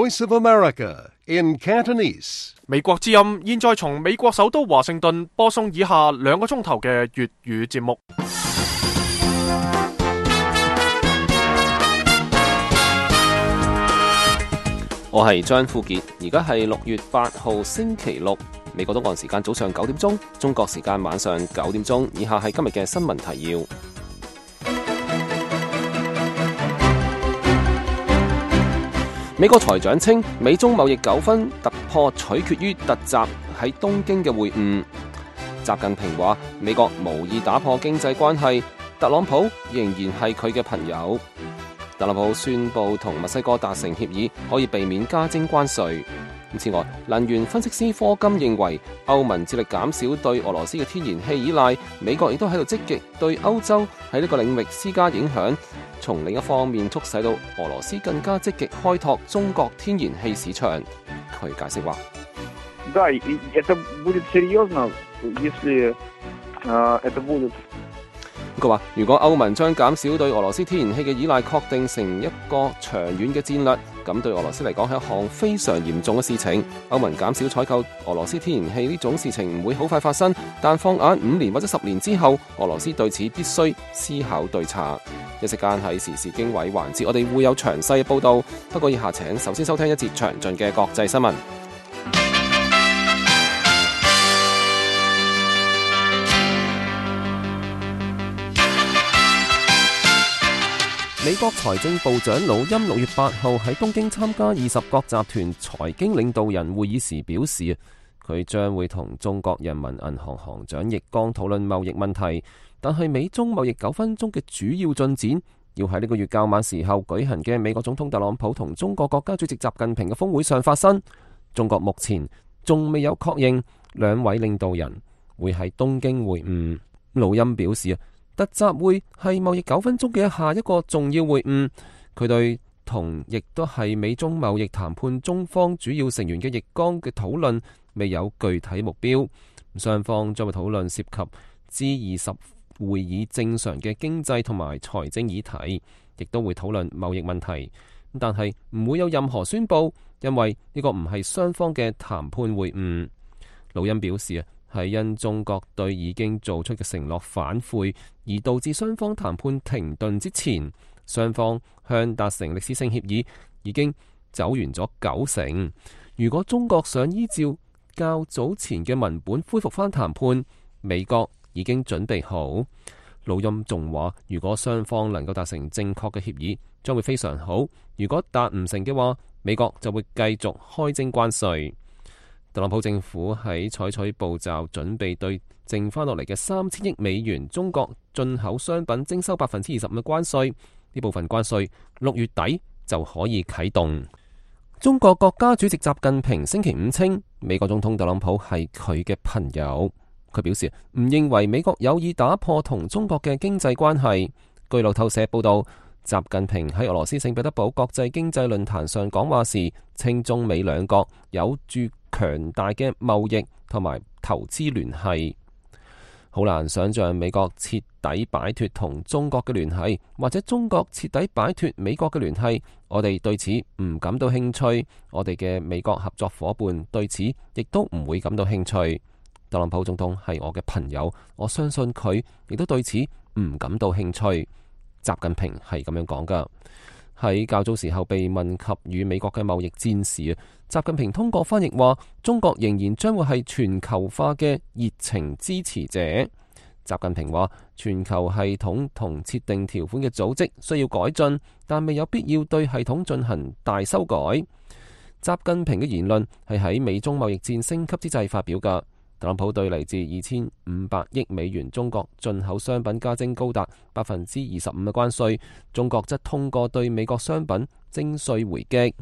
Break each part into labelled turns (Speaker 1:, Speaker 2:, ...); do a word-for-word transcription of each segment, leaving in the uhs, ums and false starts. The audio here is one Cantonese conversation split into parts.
Speaker 1: Voice of America in Cantonese。
Speaker 2: 美國之音現在從美國首都華盛頓播送以下兩個鐘頭嘅粵語節目。
Speaker 3: 我係張富傑，而家係六月八號星期六，美國東岸時間早上九點鐘，中國時間晚上九點鐘。以下係今日嘅新聞提要。美國財長稱，美中貿易糾紛突破取決於突襲喺東京嘅會晤。習近平話，美國無意打破經濟關係，特朗普仍然係佢嘅朋友。特朗普宣布同墨西哥達成協議，可以避免加徵關稅。此外，能源分析師科金認為，歐盟致力減少對俄羅斯嘅天然氣依賴，美國亦都喺度積極對歐洲喺呢個領域施加影響，從另一方面促使到俄羅斯更加積極開拓中國天然氣市場。佢解釋話：Да,
Speaker 4: это будет серьезно, если это будет。
Speaker 3: 佢話：如果歐盟將減少對俄羅斯天然氣嘅依賴確定成一個長遠嘅戰略，咁對俄羅斯嚟講係一項非常嚴重嘅事情。歐盟減少採購俄羅斯天然氣呢種事情唔會好快發生，但放眼五年或者十年之後，俄羅斯對此必須思考對策。一時間喺時事經緯環節，我哋會有詳細嘅報導。不過以下請首先收聽一節詳盡嘅國際新聞。美國財政部長魯欽六月八號喺東京參加二十國集團財經領導人會議時表示，佢將會同中國人民銀行行長易綱討論貿易問題，但係美中貿易糾紛中嘅主要進展要喺呢個月較晚時候舉行嘅美國總統特朗普同中國國家主席習近平嘅峰會上發生。中國目前仲未有確認兩位領導人會喺東京會晤。魯欽表示，突襲會係貿易糾紛中嘅下一個重要會晤，佢對同亦都係美中貿易談判中方主要成員嘅易綱嘅討論未有具體目標，雙方將會討論涉及 G 二十會議正常嘅經濟同埋財政議題，亦都會討論貿易問題，但係唔會有任何宣佈，因為呢個唔係雙方嘅談判會晤。魯欽表示，係因中國對已經做出嘅承諾反悔，而導致雙方談判停頓之前，雙方向達成歷史性協議已經走完咗九成。如果中國想依照較早前嘅文本恢復翻談判，美國已經準備好。魯欽仲話，如果雙方能夠達成正確嘅協議，將會非常好；如果達唔成嘅話，美國就會繼續開徵關稅。特朗普政府喺採取步驟，準備對剩翻落嚟嘅三千億美元中國進口商品徵收百分之二十五嘅關稅。呢部分關稅六月底就可以啟動。中國國家主席習近平星期五稱，美國總統特朗普係佢嘅朋友。佢表示唔認為美國有意打破同中國嘅經濟關係。據路透社報道，習近平喺俄羅斯聖彼得堡國際經濟論壇上講話時，稱中美兩國有住強大嘅貿易同埋投資聯繫。好難想象美國徹底擺脫同中國嘅聯繫，或者中國徹底擺脫美國嘅聯繫。我哋對此唔感到興趣，我哋嘅美國合作伙伴對此亦都唔會感到興趣。特朗普總統係我嘅朋友，我相信佢亦都對此唔感到興趣。習近平係咁樣講噶。喺較早時候被問及與美國嘅貿易戰時，習近平通過翻譯話，中國仍然將會係全球化嘅熱情支持者。習近平話，全球系統同設定條款嘅組織需要改進，但未有必要對系統進行大修改。習近平嘅言論係喺美中貿易戰升級之際發表噶。特朗普對嚟自二千五百億美元中國進口商品加徵高達百分之二十五嘅關稅，中國則通過對美國商品徵稅回擊。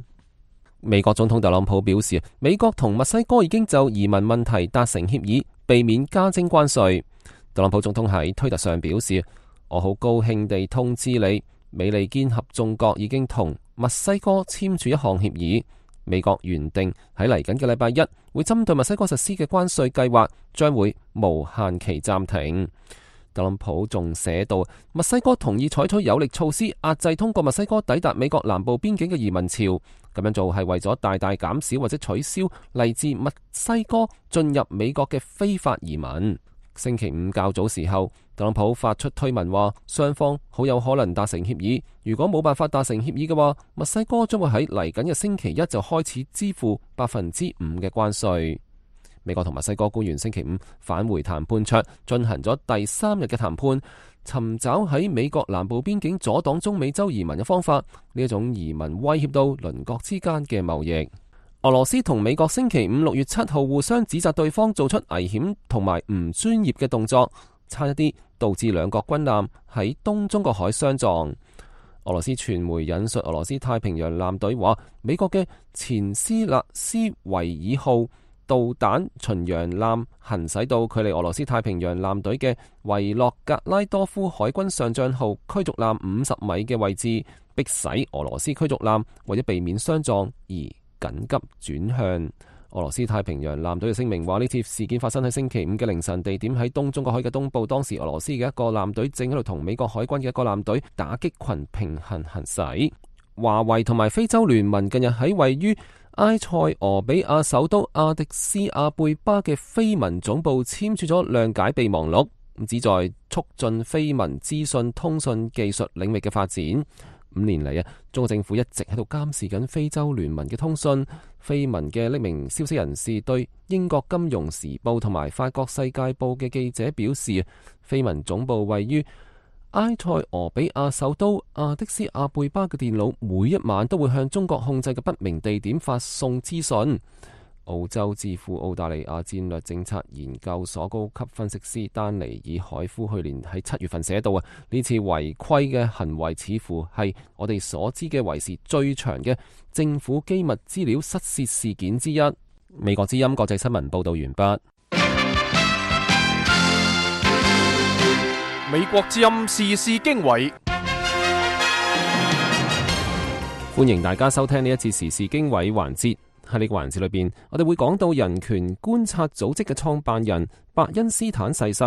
Speaker 3: 美國總統特朗普表示，美國同墨西哥已經就移民問題達成協議，避免加徵關稅。特朗普總統喺推特上表示，我好高興地通知你，美利堅合眾國已經同墨西哥簽署一項協議。美國原定喺嚟緊嘅禮拜一會針對墨西哥實施嘅關稅計劃將會無限期暫停。特朗普仲寫到，墨西哥同意採取有力措施壓制通過墨西哥抵達美國南部邊境嘅移民潮，咁樣做係為咗大大減少或者取消嚟自墨西哥進入美國嘅非法移民。星期五較早時候，特朗普發出推文話，雙方好有可能達成協議。如果冇辦法達成協議嘅話，墨西哥將會喺嚟緊嘅星期一就開始支付百分之五嘅關稅。美國同墨西哥官員星期五返回談判桌，進行咗第三日嘅談判，尋找喺美國南部邊境阻擋中美洲移民嘅方法。呢一種移民威脅到鄰國之間嘅貿易。俄羅斯同美國星期五六月七號互相指責對方做出危險同埋唔專業嘅動作，差一啲導致兩國軍艦喺東中國海相撞。俄羅斯傳媒引述俄羅斯太平洋艦隊話，美國嘅前斯納斯維爾號導彈巡洋艦行駛到距離俄羅斯太平洋艦隊嘅維洛格拉多夫海軍上將號驅逐艦五十米嘅位置，迫使俄羅斯驅逐艦為咗避免相撞而緊急轉向。俄羅斯太平洋艦隊嘅聲明話，呢次事件發生喺星期五嘅凌晨，地點喺東中國海嘅東部。當時俄羅斯嘅一個艦隊正喺度同美國海軍嘅一個艦隊打擊群平衡行駛。華為同埋非洲聯盟近日喺位於埃塞俄比亞首都阿迪斯阿貝巴嘅非盟總部簽署咗諒解備忘錄，旨在促進非盟資訊通訊技術領域嘅發展。五年嚟啊，中國政府一直喺度監視緊非洲聯盟嘅通訊。非盟嘅匿名消息人士對英國金融時報同埋法國世界報嘅記者表示，非盟總部位於埃塞俄比亞首都阿迪斯阿貝巴嘅電腦每一晚都會向中國控制嘅不明地點發送資訊。澳洲智庫澳大利亞戰略政策研究所高級分析師丹尼爾海夫去年喺七月份寫到啊，呢次違規嘅行為似乎係我哋所知嘅為時最長嘅政府機密資料失竊事件之一。美國之音國際新聞報道完畢。
Speaker 2: 美國之音時事經緯，
Speaker 3: 歡迎大家收聽呢一次時事經緯環節。喺呢個環節裏邊，我哋會講到人權觀察組織嘅創辦人伯恩斯坦逝世。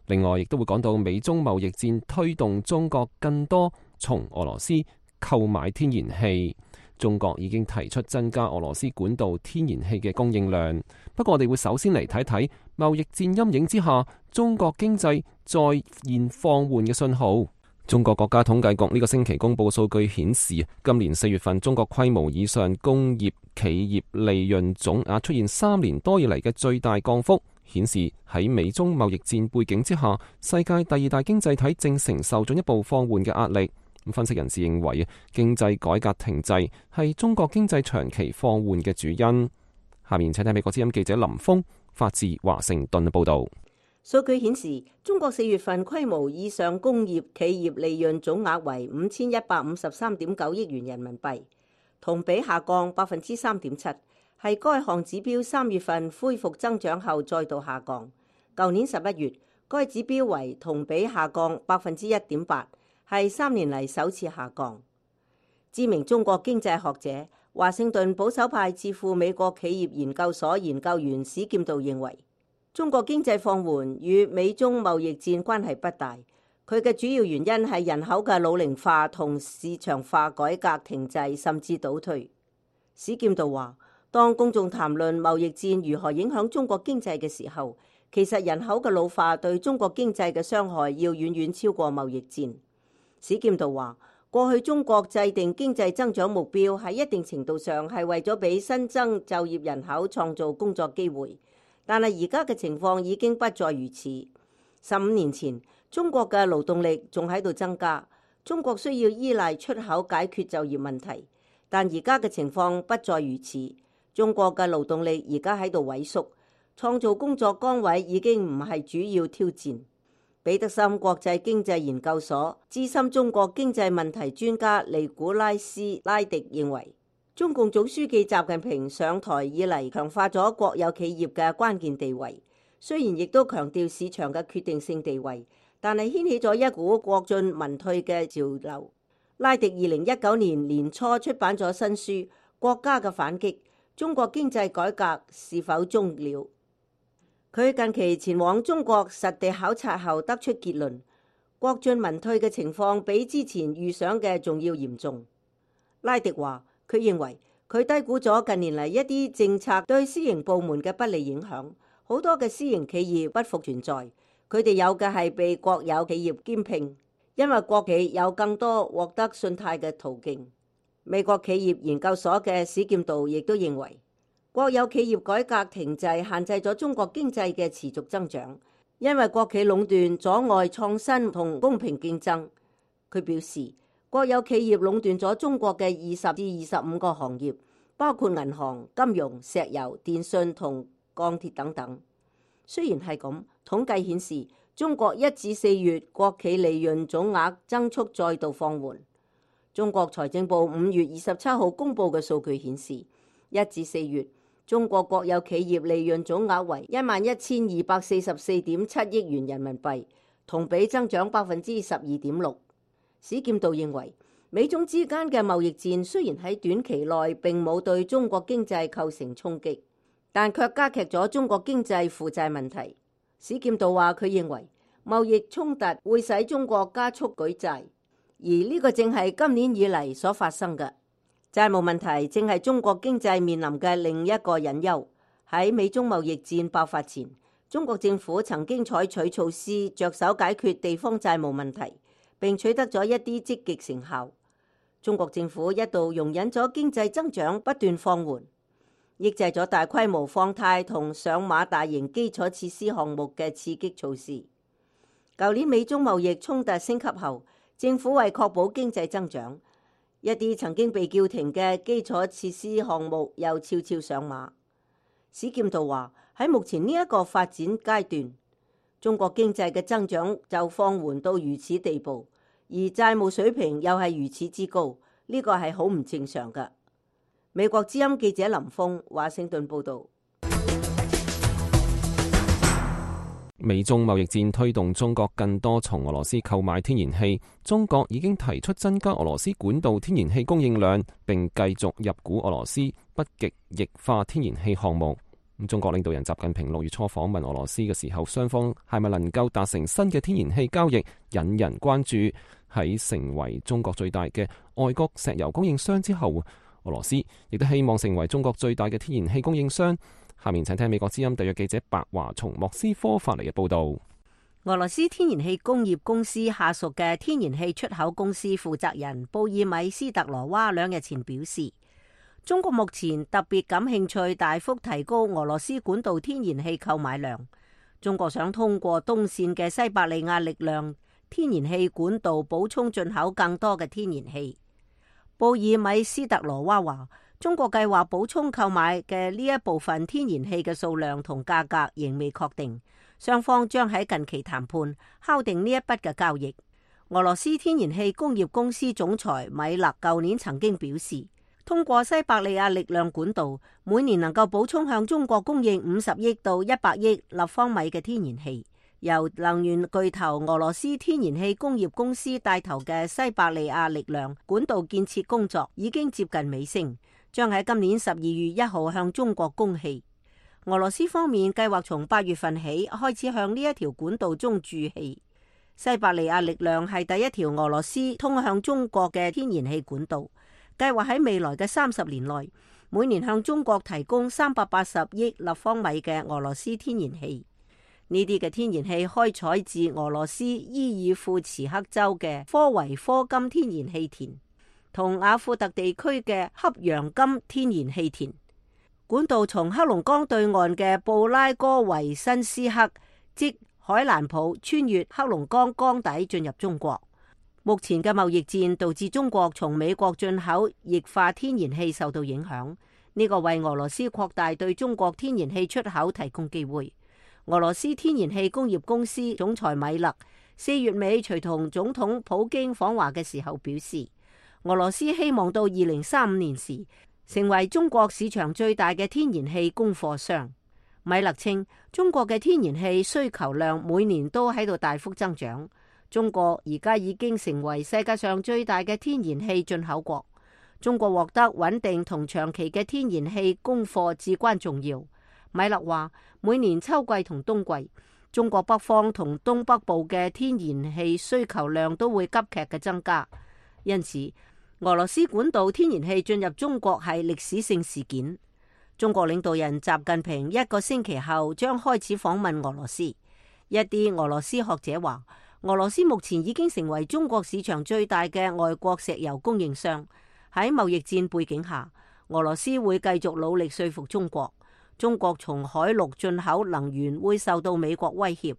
Speaker 3: 另外，亦都會講到美中貿易戰推動中國更多從俄羅斯購買天然氣。中國已經提出增加俄羅斯管道天然氣嘅供應量。不過，我哋會首先嚟睇睇貿易戰陰影之下，中國經濟再現放緩嘅信號。中國國家統計局呢個星期公布數據顯示，今年四月份中國規模以上工業企業利潤總額出現三年多以嚟嘅最大降幅，顯示喺美中貿易戰背景之下，世界第二大經濟體正承受進一步放緩嘅壓力。分析人士認為，經濟改革停滯係中國經濟長期放緩嘅主因。下面請睇美國之音記者林峰發自華盛頓嘅報道。
Speaker 5: 數據顯示，中國四月份規模以上工業企業利潤總額為五千一百五十三點九億元人民幣，同比下降百分之三點七，係該項指標三月份恢復增長後再度下降。舊年十一月，該指標為同比下降百分之一點八，係三年嚟首次下降。知名中國經濟學者、華盛頓保守派智庫美國企業研究所研究員史劍道認為，中國經濟放緩與美中貿易戰關係不大，佢嘅主要原因係人口嘅老齡化同市場化改革停滯甚至倒退。史劍道話，當公眾談論貿易戰如何影響中國經濟嘅時候，其實人口嘅老化對中國經濟嘅傷害要遠遠超過貿易戰。史劍道話，過去中國制定經濟增長目標喺一定程度上係為咗俾新增就業人口創造工作機會。但係而家嘅情況已經不再如此。十五年前，中國嘅勞動力仲喺度增加，中國需要依賴出口解決就業問題。但而家嘅情況不再如此，中國嘅勞動力而家喺度萎縮，創造工作崗位已經唔係主要挑戰。彼得森國際經濟研究所資深中國經濟問題專家尼古拉斯拉迪認為，中共總書記習近平上台以嚟，強化咗國有企業嘅關鍵地位，雖然亦都強調市場嘅決定性地位，但係掀起咗一股國進民退嘅潮流。拉迪二零一九年年初出版咗新書《國家嘅反擊：中國經濟改革是否終了》。佢近期前往中國實地考察後得出結論，國進民退嘅情況比之前預想嘅仲要嚴重。拉迪話，佢認為佢低估咗近年嚟一啲政策對私營部門嘅不利影響。好多嘅私營企業不復存在，佢哋有嘅係被國有企業兼併，因為國企有更多獲得信貸嘅途徑。美國企業研究所嘅史劍道亦都認為，國有企業改革停滯限制咗中國經濟嘅持續增長，因為國企壟斷阻礙創新同公平競爭。佢表示，國有企業壟斷咗中國嘅二十至二十五個行業，包括銀行、金融、石油、電信同鋼鐵等等。雖然係咁，統計顯示中國一至四月國企利潤總額增速再度放緩。中國財政部五月二十七號公布嘅數據顯示，一至四月中國國有企業利潤總額為一萬一千二百四十四點七億元人民幣，同比增長百分之十二點六。史劍道認為，美中之間嘅貿易戰雖然喺短期內並冇對中國經濟構成衝擊，但卻加劇咗中國經濟負債問題。史劍道話，佢認為貿易衝突會使中國加速舉債，而呢個正係今年以嚟所發生嘅。債務問題正係中國經濟面臨嘅另一個隱憂。喺美中貿易戰爆發前，中國政府曾經採取措施着手解決地方債務問題，並取得咗一啲積極成效。中國政府一度容忍咗經濟增長不斷放緩，抑制咗大規模放貸同上馬大型基礎設施項目嘅刺激措施。舊年美中貿易衝突升級後，政府為確保經濟增長，一啲曾經被叫停嘅基礎設施項目又悄悄上馬。史劍道話，喺目前呢一個發展階段，中國經濟嘅增長就放緩到如此地步，而債務水平又係如此之高，呢個係好唔正常㗎。美國之音記者林峰華盛頓報道。
Speaker 3: 美中貿易戰推動中國更多從俄羅斯購買天然氣，中國已經提出增加俄羅斯管道天然氣供應量，並繼續入股俄羅斯北極液化天然氣項目。中國領導人習近平六月初訪問俄羅斯嘅時候，雙方係咪能夠達成新嘅天然氣交易，引人關注。喺成為中國最大嘅外國石油供應商之後，俄羅斯亦都希望成為中國最大嘅天然氣供應商。下面請聽美國之音特約記者白華從莫斯科發嚟嘅報道。
Speaker 5: 俄羅斯天然氣工業公司下屬嘅天然氣出口公司負責人布爾米斯特羅娃兩日前表示，中國目前特別感興趣大幅提高俄羅斯管道天然氣購買量。中國想通過東線嘅西伯利亞力量天然氣管道補充進口更多嘅天然氣。布爾米斯特羅娃話，中國計劃補充購買嘅呢一部分天然氣嘅數量同價格仍未確定，雙方將喺近期談判敲定呢一筆嘅交易。俄羅斯天然氣工業公司總裁米勒舊年曾經表示，通過西伯利亞力量管道，每年能夠補充向中國供應五十億到一百億立方米嘅天然氣。由能源巨頭俄羅斯天然氣工業公司帶頭嘅西伯利亞力量管道建設工作已經接近尾聲，將喺今年十二月一號向中國供氣。俄羅斯方面計劃從八月份起開始向呢一條管道中注氣。西伯利亞力量係第一條俄羅斯通向中國嘅天然氣管道，計劃喺未來嘅三十年內，每年向中國提供三百八十億立方米嘅俄羅斯天然氣。呢啲嘅天然氣開採自俄羅斯伊爾庫茨克州嘅科維科金天然氣田同雅庫特地區嘅恰陽金天然氣田。管道從黑龍江對岸嘅布拉戈維申斯克即海蘭普穿越黑龍江江底進入中國。目前嘅貿易戰導致中國從美國進口液化天然氣受到影響，呢個為俄羅斯擴大對中國天然氣出口提供機會。俄羅斯天然氣工業公司總裁米勒四月尾隨同總統普京訪華嘅時候表示，俄羅斯希望到二零三五年時成為中國市場最大嘅天然氣供貨商。米勒稱，中國嘅天然氣需求量每年都喺度大幅增長，中國而家已經成為世界上最大嘅天然氣進口國。中國獲得穩定同長期嘅天然氣供貨至關重要。米勒話，每年秋季同冬季，中國北方同東北部嘅天然氣需求量都會急劇嘅增加，因此俄羅斯管道天然氣進入中國係歷史性事件。中國領導人習近平一個星期後將開始訪問俄羅斯。一啲俄羅斯學者話，俄羅斯目前已經成為中國市場最大嘅外國石油供應商。喺貿易戰背景下，俄羅斯會繼續努力說服中國，中國從海陸進口能源會受到美國威脅。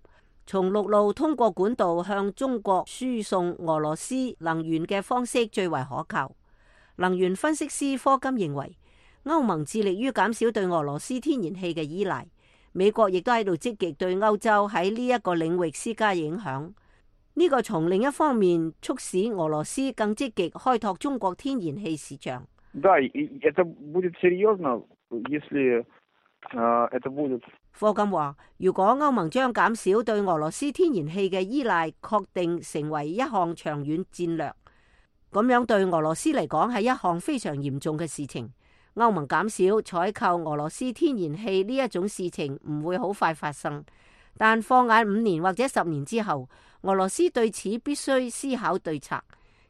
Speaker 5: 從陸路通過管道向中國輸送俄羅斯能源嘅方式最為可靠。能源分析師科金認為，歐盟致力於減少對俄羅斯天然氣嘅依賴，美國亦都喺度積極對歐洲喺呢一個領域施加影響。呢個從另一方面促使俄羅斯更積極開拓中國天然氣市場。
Speaker 4: Да, это будет серьезно, если это будет。
Speaker 5: 科金話，如果歐盟將減少對俄羅斯天然氣嘅依賴確定成為一項長遠戰略，咁樣對俄羅斯嚟講係一項非常嚴重嘅事情。歐盟減少採購俄羅斯天然氣呢一種事情唔會好快發生，但放眼五年或者十年之後，俄羅斯對此必須思考對策。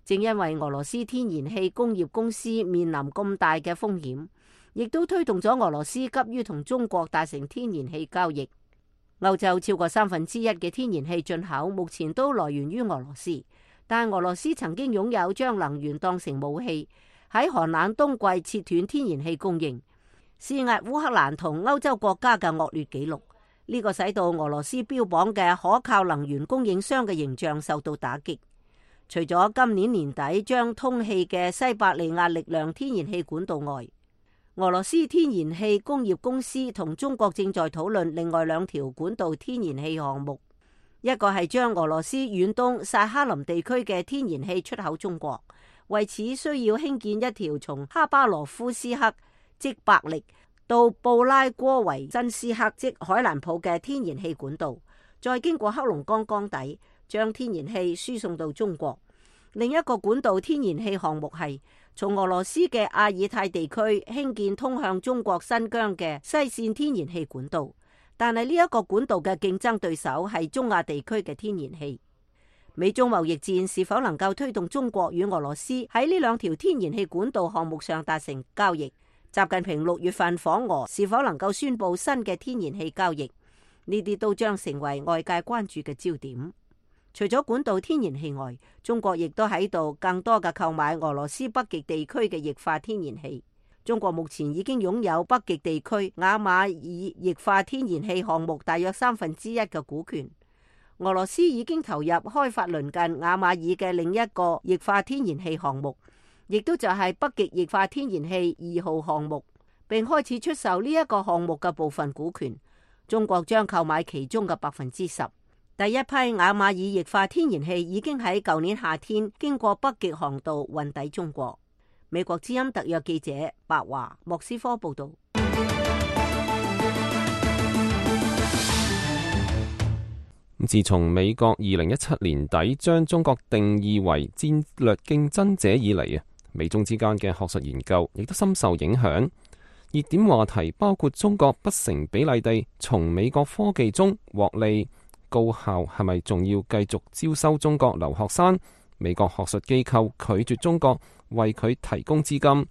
Speaker 5: 正因為俄羅斯天然氣工業公司面臨咁大嘅風險，亦都推動咗俄羅斯急於同中國達成天然氣交易。歐洲超過三分之一嘅天然氣進口目前都來源於俄羅斯，但俄羅斯曾經擁有將能源當成武器，喺寒冷冬季切斷天然氣供應，施壓烏克蘭同歐洲國家嘅惡劣紀錄。呢個使到俄羅斯標榜嘅可靠能源供應商嘅形象受到打擊。除咗今年年底將通氣嘅西伯利亞力量天然氣管道外，俄羅斯天然氣工業公司同中國正在討論另外兩條管道天然氣項目，一個係將俄羅斯遠東薩哈林地區嘅天然氣出口中國，為此需要興建一條從哈巴羅夫斯克即伯力到布拉戈維真斯克即海蘭普嘅天然氣管道，再經過黑龍江江底將天然氣輸送到中國。另一個管道天然氣項目係從俄羅斯嘅阿爾泰地區興建通向中國新疆嘅西線天然氣管道，但係呢一個管道嘅競爭對手係中亞地區嘅天然氣。美中貿易戰是否能夠推動中國與俄羅斯喺呢兩條天然氣管道項目上達成交易？習近平六月份訪俄是否能夠宣布新嘅天然氣交易？呢啲都將成為外界關注嘅焦點。除咗管道天然氣外，中國亦都喺度更多嘅購買俄羅斯北極地區嘅液化天然氣。中國目前已經擁有北極地區雅馬爾液化天然氣項目大約三分之一嘅股權。俄羅斯已經投入開發鄰近雅馬爾嘅另一個液化天然氣項目，亦都就係北極液化天然氣二號項目，並開始出售呢一個項目嘅部分股權。中國將購買其中嘅百分之十。第一批雅馬爾液化天然氣已經喺舊年夏天經過北極航道運抵中國。美國之音特約記者白華莫斯科報道。
Speaker 3: 自從美國二零一七年底將中國定義為戰略競爭者以嚟啊，美中之間嘅學術研究亦都深受影響。熱點話題包括中國不成比例地從美國科技中獲利。高校係咪仲要繼續招收中國留學生？美國學術機構拒絕中國為佢提供資金。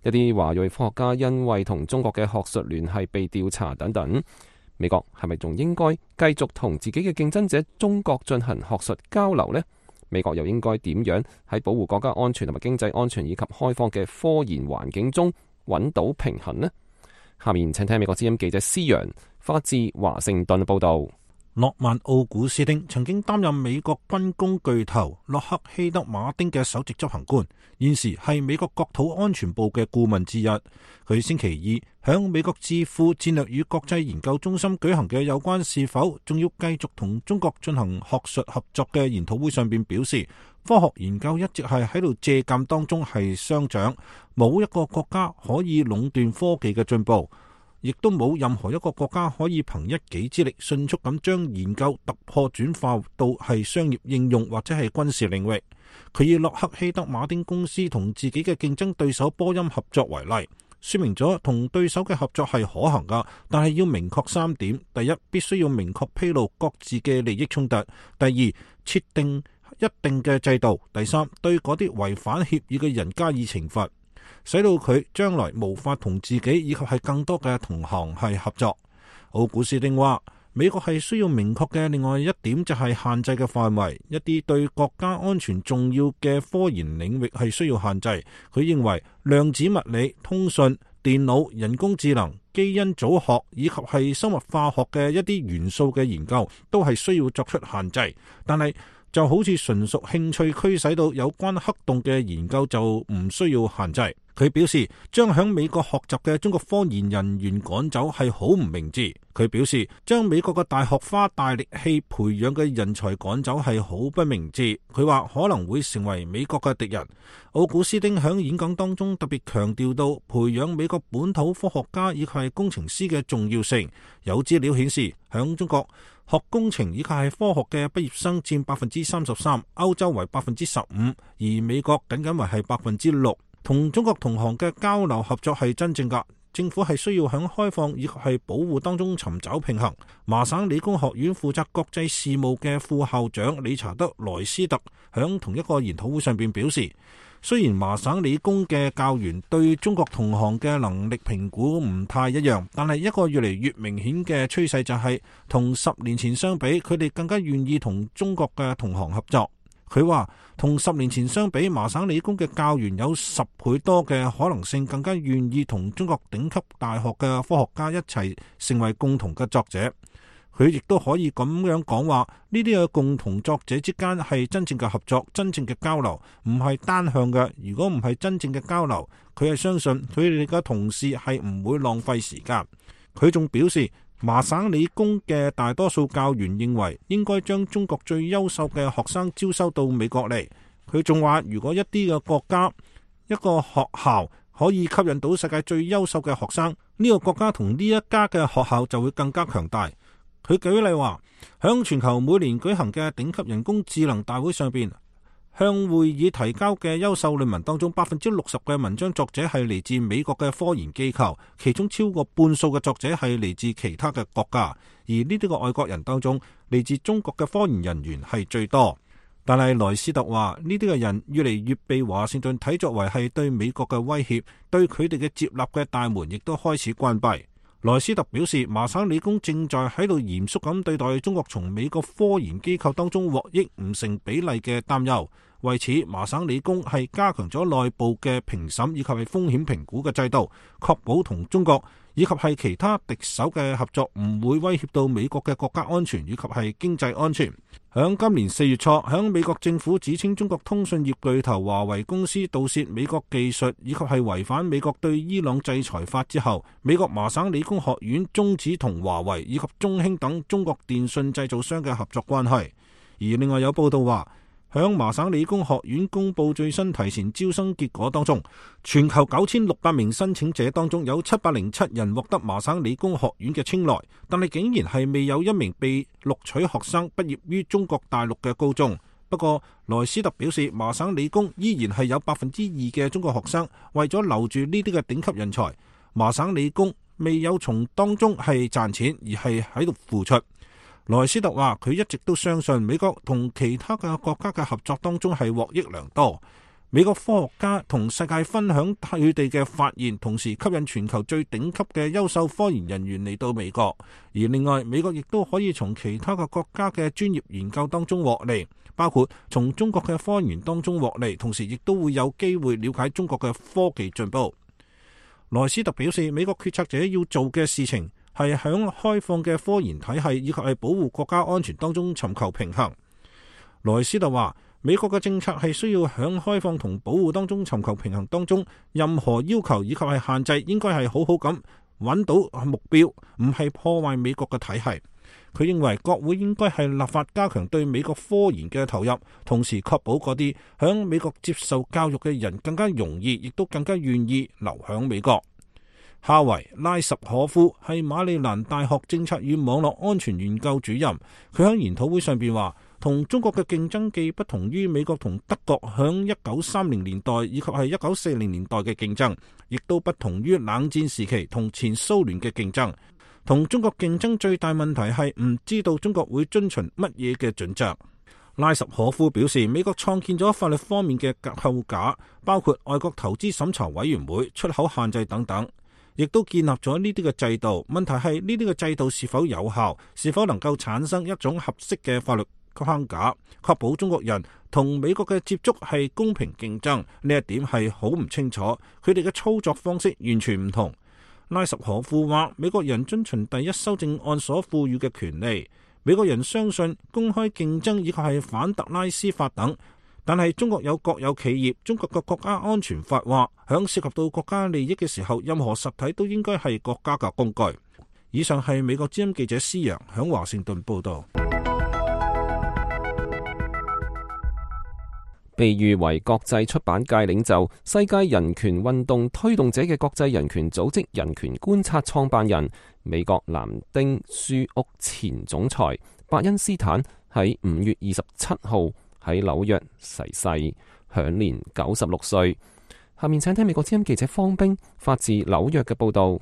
Speaker 3: 一啲華裔科學家因為同中國嘅學術聯繫被調查等等。美國係咪仲應該繼續同自己嘅競爭者中國進行學術交流呢？美國又應該點樣喺保護國家安全同埋經濟安全以及開放嘅科研環境中揾到平衡呢？下面請聽美國之音記者施陽發自華盛頓報道。
Speaker 6: 諾曼奧古斯丁曾經擔任美國軍工巨頭洛克希德馬丁嘅首席執行官，現時係美國國土安全部嘅顧問之一。佢星期二響美國智庫戰略與國際研究中心舉行嘅有關是否仲要繼續同中國進行學術合作嘅研討會上邊表示，科學研究一直係喺度借鑒當中係相長，冇一個國家可以壟斷科技嘅進步。亦都冇任何一個國家可以憑一己之力迅速咁將研究突破轉化到係商業應用或者係軍事領域。佢以洛克希德馬丁公司同自己嘅競爭對手波音合作為例，說明咗同對手嘅合作係可行噶，但係要明確三點：第一，必須要明確披露各自嘅利益衝突；第二，設定一定嘅制度；第三，對嗰啲違反協議嘅人加以懲罰，使到佢將來無法同自己以及係更多嘅同行係合作。奧古斯丁話，美國係需要明確嘅另外一點就係限制嘅範圍，一啲對國家安全重要嘅科研領域係需要限制。佢認為量子物理、通訊、電腦、人工智能、基因組學以及係生物化學嘅一啲元素嘅研究都係需要作出限制，但係就好似純屬興趣驅使到有關黑洞嘅研究就唔需要限制。佢表示將響美國學習嘅中國科研人員趕走係好唔明智。佢表示將美國嘅大學花大力氣培養嘅人才趕走係好不明智。佢話可能會成為美國嘅敵人。奧古斯丁響演講當中特別強調到培養美國本土科學家以及係工程師嘅重要性。有資料顯示響中國學工程以及係科學嘅畢業生佔百分之三十三，歐洲為百分之十五，而美國僅僅為係百分之六。同中國同行嘅交流合作係真正㗎，政府係需要響開放以及係保護當中尋找平衡。麻省理工學院負責國際事務嘅副校長理查德·萊斯特響同一個研討會上邊表示，雖然麻省理工嘅教員對中國同行嘅能力評估唔太一樣，但係一個越嚟越明顯嘅趨勢就係同十年前相比，佢哋更加願意同中國嘅同行合作。佢話同十年前相比，麻省理工嘅教員有十倍多嘅可能性更加願意同中國頂級大學嘅科學家一齊成為共同嘅作者。佢亦都可以咁樣講話，呢啲嘅共同作者之間係真正嘅合作，真正嘅交流，唔係單向嘅。如果唔係真正嘅交流，佢係相信佢哋嘅同事係唔會浪費時間。佢仲表示，麻省理工嘅大多數教員認為應該將中國最優秀嘅學生招收到美國嚟。佢仲話，如果一啲嘅國家、一個學校可以吸引到世界最優秀嘅學生，呢個國家同呢一家嘅學校就會更加強大。佢舉例話，響全球每年舉行嘅頂級人工智能大會上邊，向會議提交嘅優秀論文當中，百分之六十嘅文章作者係嚟自美國嘅科研機構，其中超過半數嘅作者係嚟自其他嘅國家，而呢啲個外國人當中，嚟自中國嘅科研人員係最多。但係萊斯特話，呢啲嘅人越嚟越被華盛頓睇作為係對美國嘅威脅，對佢哋嘅接納嘅大門亦都開始關閉。萊斯特表示，麻省理工正在喺度嚴肅咁對待中國從美國科研機構當中獲益唔成比例嘅擔憂。為此，麻省理工係加強咗內部嘅評審以及係風險評估嘅制度，確保同中國以及係其他敵手嘅合作唔會威脅到美國嘅國家安全以及係經濟安全。響今年四月初，響美國政府指稱中國通訊業巨頭華為公司盜竊美國技術以及係違反美國對伊朗制裁法之後，美國麻省理工學院終止同華為以及中興等中國電信製造商嘅合作關係。而另外有報道話，響麻省理工學院公布最新提前招生結果當中，全球九千六百名申請者當中有七百零七人獲得麻省理工學院嘅青睞，但係竟然係未有一名被錄取學生畢業於中國大陸嘅高中。不過萊斯特表示，麻省理工依然係有百分之二嘅中國學生，為咗留住呢啲嘅頂級人才，麻省理工未有從當中係賺錢，而係喺度付出。萊斯特話，佢一直都相信美國同其他嘅國家嘅合作當中係獲益良多。美國科學家同世界分享佢哋嘅發現，同時吸引全球最頂級嘅優秀科研人員嚟到美國。而另外，美國亦都可以從其他嘅國家嘅專業研究當中獲利，包括從中國嘅科研當中獲利，同時亦都會有機會了解中國嘅科技進步。萊斯特表示，美國決策者要做嘅事情係響開放嘅科研體系以及係保護國家安全當中尋求平衡。萊斯特話，美國嘅政策係需要響開放同保護當中尋求平衡當中，任何要求以及係限制應該係好好咁揾到目標，唔係破壞美國嘅體系。佢認為國會應該係立法加強對美國科研嘅投入，同時確保嗰啲響美國接受教育嘅人更加容易，亦都更加願意留響美國。哈維拉什可夫係馬里蘭大學政策與網絡安全研究主任，佢喺研討會上邊話，同中國嘅競爭既不同於美國同德國響一九三零年代以及係一九四零年代嘅競爭，亦都不同於冷戰時期同前蘇聯嘅競爭。同中國競爭最大問題係唔知道中國會遵循乜嘢嘅準則。拉什可夫表示，美國創建咗法律方面嘅構架，包括外國投資審查委員會、出口限制等等，亦都建立咗呢啲嘅制度。問題係呢啲嘅制度是否有效，是否能夠產生一種合適嘅法律框架，確保中國人同美國嘅接觸係公平競爭，呢一點係好唔清楚。佢哋嘅操作方式完全唔同。拉什可夫話，美國人遵循第一修正案所賦予嘅權利。美國人相信公開競爭以及係反特拉斯法等，但係中國有國有企業，中國嘅國家安全法話，響涉及到國家利益嘅時候，任何實體都應該係國家嘅工具。以上係美國之音記者施洋響華盛頓報道。
Speaker 3: 被譽為國際出版界領袖、世界人權運動推動者嘅國際人權組織人權觀察創辦人、美國南丁書屋前總裁伯恩斯坦喺五月二十七號喺紐約逝世，享年九十六歲。下面請聽美國之音記者方冰發自紐約嘅報道。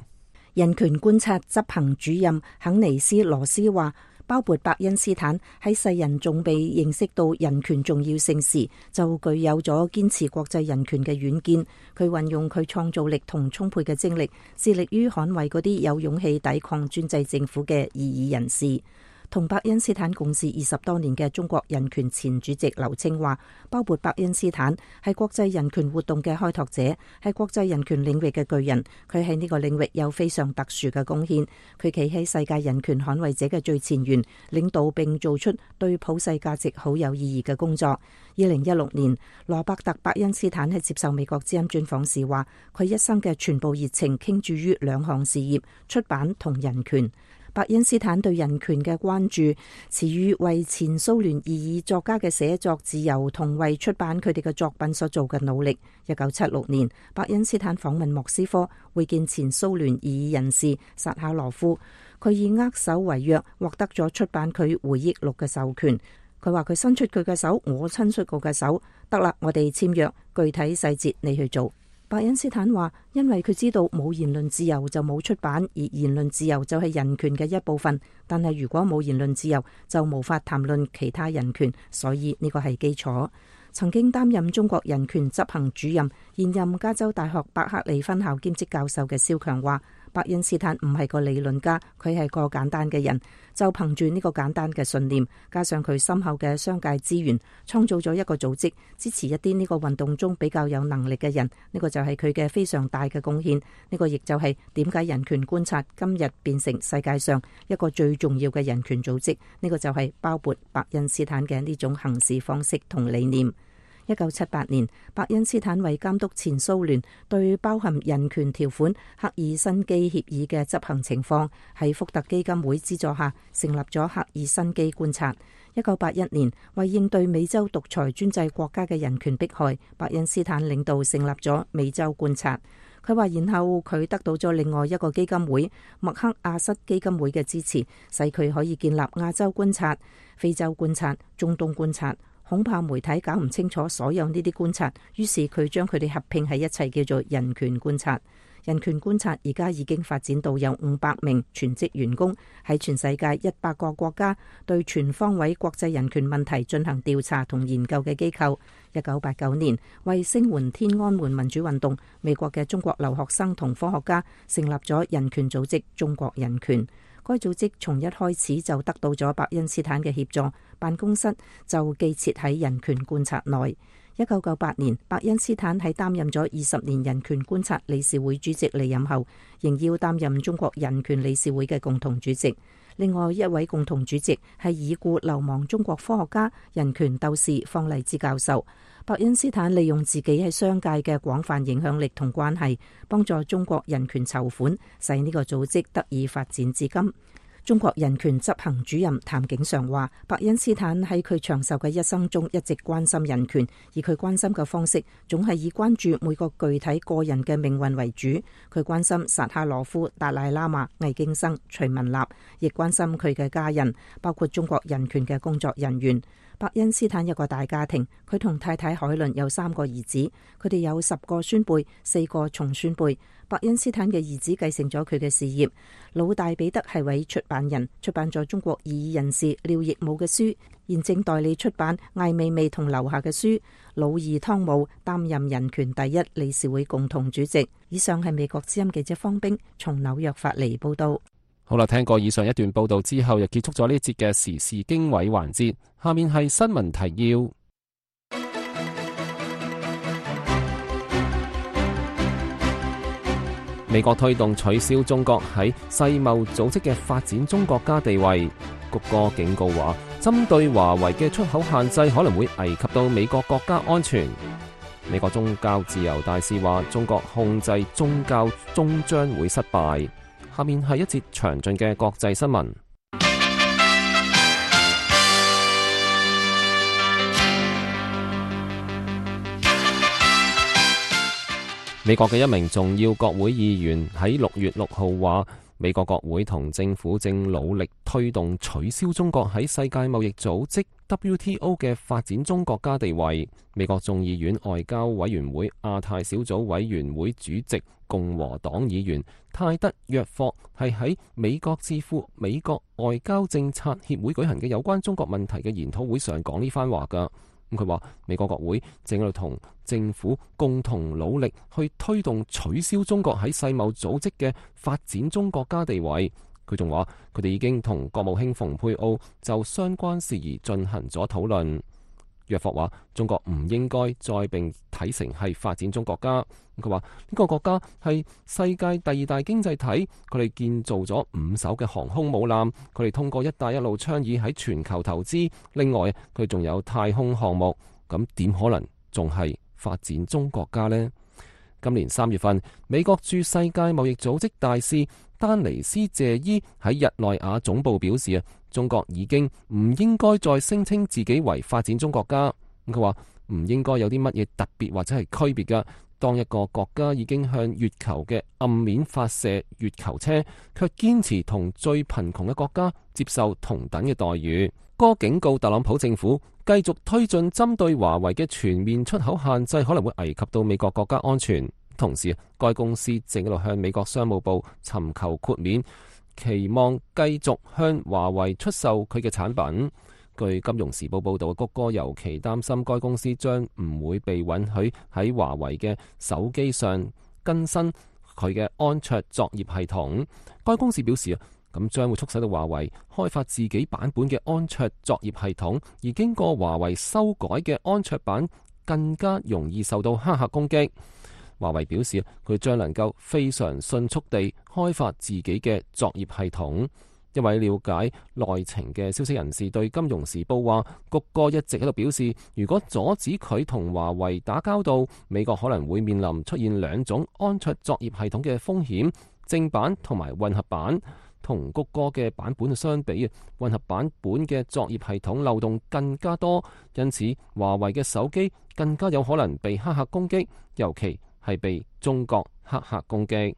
Speaker 5: 人權觀察執行主任肯尼斯羅斯話，包括伯恩斯坦喺世人仲未認識到人權重要性時，就具有咗堅持國際人權嘅遠見。佢運用佢創造力同充沛嘅精力，致力於捍衛嗰啲有勇氣抵抗專制政府嘅異議人士。同伯恩斯坦共事二十多年嘅中國人權前主席劉青話，包括伯恩斯坦係國際人權活動嘅開拓者，係國際人權領域嘅巨人。佢喺呢個領域有非常特殊嘅貢獻。佢企喺世界人權捍衛者嘅最前沿，領導並做出對普世價值好有意義嘅工作。二零一六年，羅伯特伯恩斯坦喺接受美國之音專訪時話，佢一生嘅全部熱情傾注於兩項事業：出版同人權。伯恩斯坦對人權嘅關注，始於為前蘇聯異議作家嘅寫作自由同為出版佢哋嘅作品所做嘅努力。一九七六年，伯恩斯坦訪問莫斯科，會見前蘇聯異議人士薩哈羅夫，佢以握手為約，獲得咗出版佢回憶錄嘅授權。佢話佢伸出佢嘅手，我伸出佢嘅手，得啦，我哋簽約，具體細節你去做。伯恩斯坦話，因為佢知道冇言論自由就冇出版，而言論自由就係人權嘅一部分。但係如果冇言論自由，就無法談論其他人權，所以呢個係基礎。曾經擔任中國人權執行主任、現任加州大學伯克利分校兼職教授嘅蕭強話，伯恩斯坦唔係個理論家，佢係個簡單嘅人。就憑住呢個簡單嘅信念，加上佢深厚嘅商界資源，創造咗一個組織，支持一啲呢個運動中比較有能力嘅人。呢個就係佢嘅非常大嘅貢獻。呢個亦就係點解人權觀察今日變成世界上一個最重要嘅人權組織。呢個就係包括伯恩斯坦嘅呢種行事方式同理念。一九七八年，伯恩斯坦為監督前蘇聯對包含人權條款赫爾辛基協議嘅執行情況，喺福特基金會資助下成立咗赫爾辛基觀察。一九八一年，為應對美洲獨裁專制國家嘅人權迫害，伯恩斯坦領導成立咗美洲觀察。佢話，然後佢得到咗另外一個基金會麥克阿瑟基金會嘅支持，使佢可以建立亞洲觀察、非洲觀察、中東觀察。恐怕媒體搞唔清楚所有呢啲觀察，於是佢將佢哋合併喺一齊，叫做人權觀察。人權觀察而家已經發展到有五百名全職員工，喺全世界一百個國家對全方位國際人權問題進行調查同研究嘅機構。一九八九年，為聲援天安門民主運動，美國嘅中國留學生同科學家成立咗人權組織中國人權。該組織從一開始就得到咗伯恩斯坦嘅協助，辦公室就寄設喺人權觀察內。一九九八年，伯恩斯坦喺擔任咗二十年人權觀察理事會主席離任後，仍要擔任中國人權理事會嘅共同主席。另外一位共同主席係已故流亡中國科學家、人權鬥士方勵之教授。伯恩斯坦利用自己喺商界嘅廣泛影響力同關係，幫助中國人權籌款，使呢個組織得以發展至今。中國人權執行主任譚景常話，伯恩斯坦喺佢長壽嘅一生中一直關心人權，而佢關心嘅方式總係以關注每個具體個人嘅命運為主。佢關心薩哈羅夫、達賴喇嘛、魏京生、徐文立，亦關心佢嘅家人，包括中國人權嘅工作人員。
Speaker 7: 伯恩斯坦有個大家庭，佢同太太海倫有三個兒子，佢哋有十個孫輩，四個重孫輩。伯恩斯坦嘅兒子繼承咗佢嘅事業。老大彼得係位出版人，出版咗中國異議人士廖亦武嘅書，現正代理出版艾未未同劉夏嘅書。老二湯姆擔任人權第一理事會共同主席。以上係美國之音記者方冰從紐約發嚟報道。
Speaker 3: 好啦，聽過以上一段報道之後，又結束咗呢節嘅時事經緯環節。下面係新聞提要。美國推動取消中國喺世貿組織嘅發展中國家地位。谷歌警告話，針對華為嘅出口限制可能會危及到美國國家安全。美國宗教自由大使話，中國控制宗教終將會失敗。下面係一節詳盡嘅國際新聞。美國嘅一名重要國會議員喺六月六號話，美國國會同政府正努力推動取消中國喺世界貿易組織 W T O 嘅發展中國家地位。美國眾議院外交委員會亞太小組委員會主席共和黨議員泰德約霍係喺美國智庫美國外交政策協會舉行嘅有關中國問題嘅研討會上講呢番話㗎。咁佢話美國國會正喺度同政府共同努力去推動取消中國喺世貿組織嘅發展中國家地位。佢仲話佢哋已經同國務卿蓬佩奧就相關事宜進行咗討論。約霍話中國唔應該再被睇成係發展中國家。佢話呢個國家係世界第二大經濟體，佢哋建造咗五艘嘅航空母艦，佢哋通過一帶一路倡議喺全球投資，另外佢仲有太空項目，咁點可能仲係發展中國家呢？今年三月份，美國駐世界貿易組織大使丹尼斯謝伊喺日內瓦總部表示啊，中國已經唔應該再聲稱自己為發展中國家。佢話唔應該有啲乜嘢特別或者係區別㗎。當一個國家已經向月球嘅暗面發射月球車，卻堅持同最貧窮嘅國家接受同等嘅待遇。哥警告特朗普政府繼續推進針對華為嘅全面出口限制，可能會危及到美國國家安全。同時，該公司正喺度向美國商務部尋求豁免，期望繼續向華為出售佢嘅產品。據《金融時報》報導，谷歌尤其擔心該公司將唔會被允許喺華為嘅手機上更新佢嘅安卓作業系統。該公司表示啊，咁將會促使到華為開發自己版本嘅安卓作業系統，而經過華為修改嘅安卓版更加容易受到黑客攻擊。華為表示，佢將能夠非常迅速地開發自己嘅作業系統。一位了解內情嘅消息人士對《金融時報》話，谷歌一直喺度表示，如果阻止佢同華為打交道，美國可能會面臨出現兩種安卓作業系統嘅風險，正版同埋混合版。同谷歌嘅版本相比，混合版本嘅作業系統漏洞更加多，因此華為嘅手機更加有可能被黑客攻擊，尤其係被中國黑客攻擊。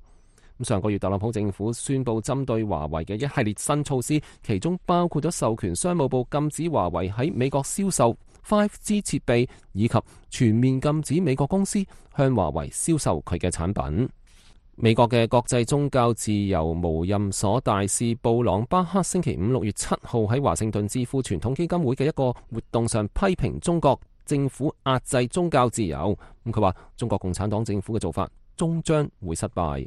Speaker 3: 上個月特朗普政府宣布針對華為嘅一系列新措施，其中包括咗授權商務部禁止華為喺美國銷售 五 G 設備，以及全面禁止美國公司向華為銷售佢嘅產品。美國嘅國際宗教自由無任所大使布朗巴克星期五六月七號喺華盛頓智庫傳統基金會嘅一個活動上批評中國政府壓制宗教自由。咁佢話中國共產黨政府嘅做法終將會失敗。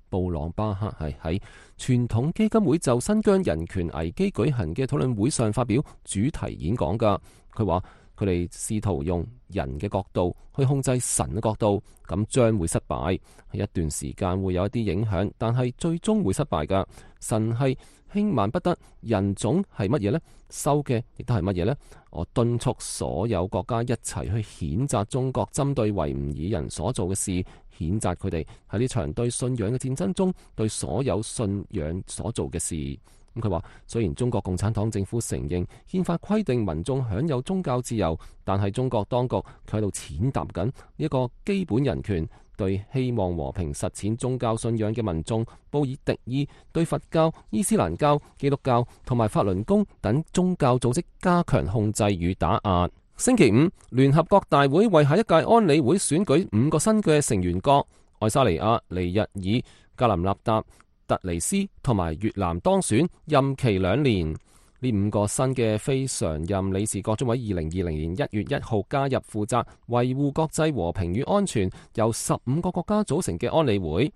Speaker 3: 布朗巴克係喺傳統基金會就新疆人權危機舉行嘅討論會上發表主題演講㗎。佢話佢哋試圖用人嘅角度去控制神嘅角度，咁將會失敗。係一段時間會有一啲影響，但係最終會失敗㗎。神係輕慢不得，人種係乜嘢呢？收嘅亦都係乜嘢呢？我敦促所有國家一齊去譴責中國針對維吾爾人所做嘅事，譴責佢哋喺呢場對信仰嘅戰爭中對所有信仰所做嘅事。咁佢話，雖然中國共產黨政府承認憲法規定民眾享有宗教自由，但係中國當局佢喺度踐踏緊呢一個基本人權，對希望和平實踐宗教信仰嘅民眾報以敵意，對佛教、伊斯蘭教、基督教同埋法輪功等宗教組織加強控制與打壓。星期五，聯合國大會為下一屆安理會選舉五個新嘅成員國，愛沙尼亞、尼日爾、格林納達、突尼斯同埋越南當選，任期兩年。呢五個新嘅非常任理事國將喺二零二零年一月一號加入負責維護國際和平與安全，由十五個國家組成嘅安理會。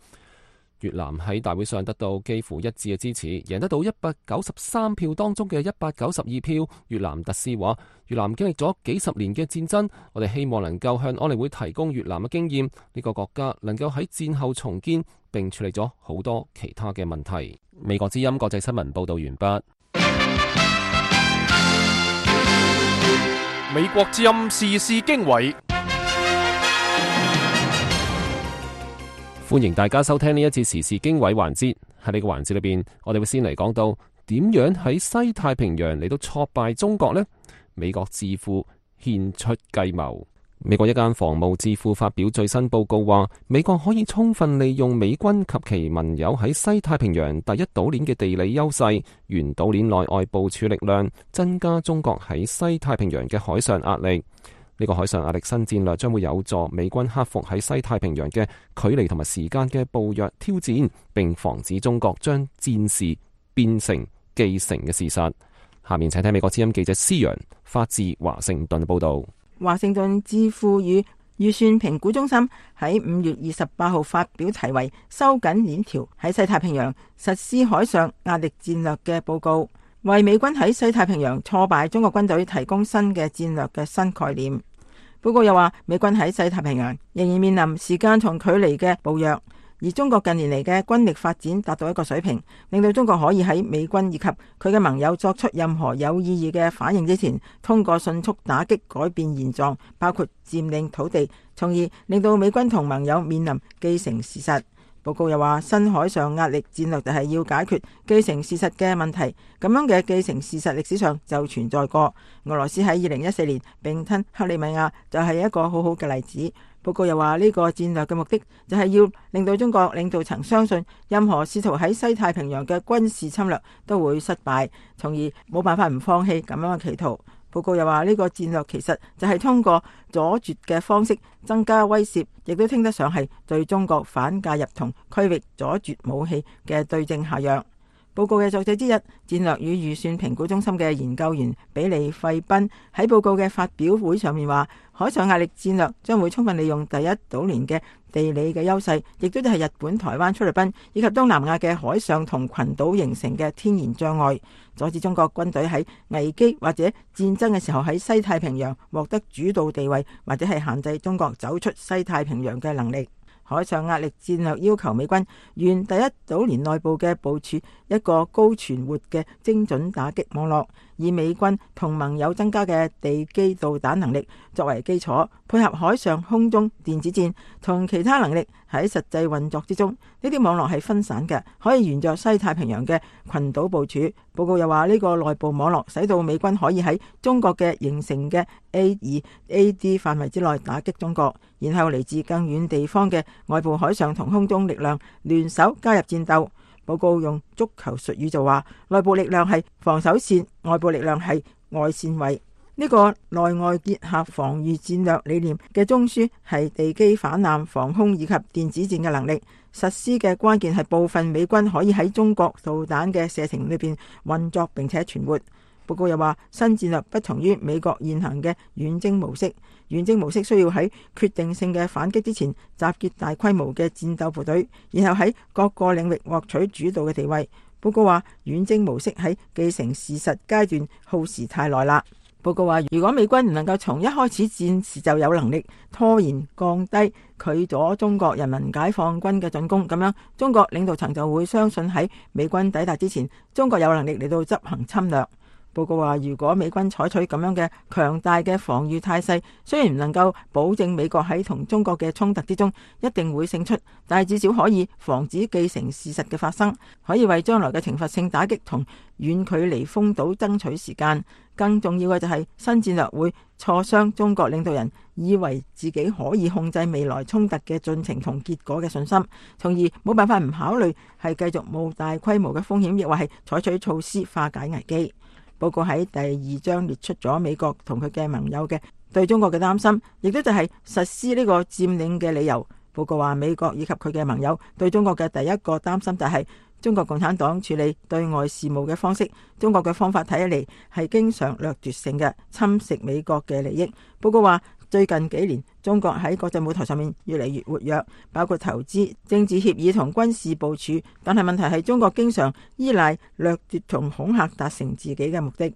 Speaker 3: 越南喺大會上得到幾乎一致嘅支持，贏得到一百九十三票當中嘅一百九十二票。越南特使話：越南經歷咗幾十年嘅戰爭，我哋希望能夠向安理會提供越南嘅經驗，呢個國家能夠喺戰後重建，並處理咗好多其他嘅問題。美國之音國際新聞報道完畢。
Speaker 2: 美國之音時事經緯。
Speaker 3: 歡迎大家收聽呢一次時事經緯環節。喺呢個環節裏邊，我哋會先嚟講到點樣喺西太平洋嚟到挫敗中國呢？美國智庫獻出計謀。美國一間防務智庫發表最新報告話，美國可以充分利用美軍及其盟友喺西太平洋第一島鏈嘅地理優勢，沿島鏈內外部署力量，增加中國喺西太平洋嘅海上壓力。呢個海上壓力新戰略將會有助美軍克服喺西太平洋嘅距離同埋時間嘅暴虐挑戰，並防止中國將戰事變成既成嘅事實。下面請睇美國之音記者施陽發自華盛頓報道。
Speaker 8: 華盛頓智庫與預算評估中心喺五月二十八號發表題為《收緊鏈條喺西太平洋實施海上壓力戰略》嘅報告，為美軍喺西太平洋挫敗中國軍隊提供新嘅戰略嘅新概念。報告又話，美軍喺西太平洋仍然面臨時間同距離嘅暴虐，而中國近年嚟嘅軍力發展達到一個水平，令到中國可以喺美軍以及佢嘅盟友作出任何有意義嘅反應之前，通過迅速打擊改變現狀，包括佔領土地，從而令到美軍同盟友面臨既成事實。報告又話，新海上壓力戰略就係要解決既成事實嘅問題，咁樣嘅既成事實歷史上就存在過。俄羅斯喺二零一四年併吞克里米亞就係一個好好嘅例子。報告又話，呢個戰略嘅目的就係要令到中國領導層相信，任何試圖喺西太平洋嘅軍事侵略都會失敗，從而冇辦法唔放棄咁樣嘅企圖。報告又話，呢個戰略其實就係通過阻絕嘅方式增加威懾，亦都稱得上係對中國反介入同區域阻絕武器嘅對症下藥。報告嘅作者之一，戰略與預算評估中心嘅研究員比利費賓喺報告嘅發表會上面話，海上壓力戰略將會充分利用第一島鏈嘅地理嘅優勢，亦都係日本、台灣、菲律賓以及東南亞嘅海上同群島形成嘅天然障礙，阻止中國軍隊喺危機或者戰爭嘅時候喺西太平洋獲得主導地位，或者係限制中國走出西太平洋嘅能力。海上壓力戰略要求美軍沿第一島鏈內部嘅部署一個高存活嘅精準打擊網絡，以美軍同盟友增加嘅地基導彈能力作為基礎，配合海上空中電子戰同其他能力喺實際運作之中。呢啲網絡係分散嘅，可以沿着西太平洋嘅群島部署。報告又話，呢個內部網絡使到美軍可以喺中國嘅形成嘅 A 二 A D 範圍之內打擊中國，然後嚟自更遠地方嘅外部海上同空中力量聯手加入戰鬥。報告用足球術語就話，內部力量係防守線，外部力量係外線位。呢個內外結合防禦戰略理念嘅中樞係地基反艦、防空以及電子戰嘅能力。實施嘅關鍵係部分美軍可以喺中國導彈嘅射程裏邊運作並且存活。報告又話，新戰略不同於美國現行嘅遠征模式。遠征模式需要喺決定性嘅反擊之前集結大規模嘅戰鬥部隊，然後喺各個領域獲取主導嘅地位。報告話，遠征模式喺既成事實階段耗時太耐啦。報告話，如果美軍唔能夠從一開始戰時就有能力拖延、降低、拒阻中國人民解放軍嘅進攻，咁樣中國領導層就會相信喺美軍抵達之前，中國有能力嚟到執行侵略。報告話，如果美軍採取咁樣嘅強大嘅防禦態勢，雖然唔能夠保證美國喺同中國嘅衝突之中一定會勝出，但係至少可以防止既成事實嘅發生，可以為將來嘅懲罰性打擊同遠距離封堵爭取時間。更重要嘅就係新戰略會挫傷中國領導人以為自己可以控制未來衝突嘅進程同結果嘅信心，從而冇辦法唔考慮係繼續冒大規模嘅風險，亦或係採取措施化解危機。報告喺第二章列出咗美國同佢嘅盟友嘅對中國嘅擔心，亦都就係實施呢個佔領嘅理由。報告話，美國以及佢嘅盟友對中國嘅第一個擔心就係中國共產黨處理對外事務嘅方式。中國嘅方法睇起嚟係經常掠奪性嘅，侵蝕美國嘅利益。報告話，最近幾年中國喺國際舞台上面越嚟越活躍，包括投資、政治協議同軍事部署。但係問題係中國經常依賴掠奪同恐嚇達成自己嘅目的。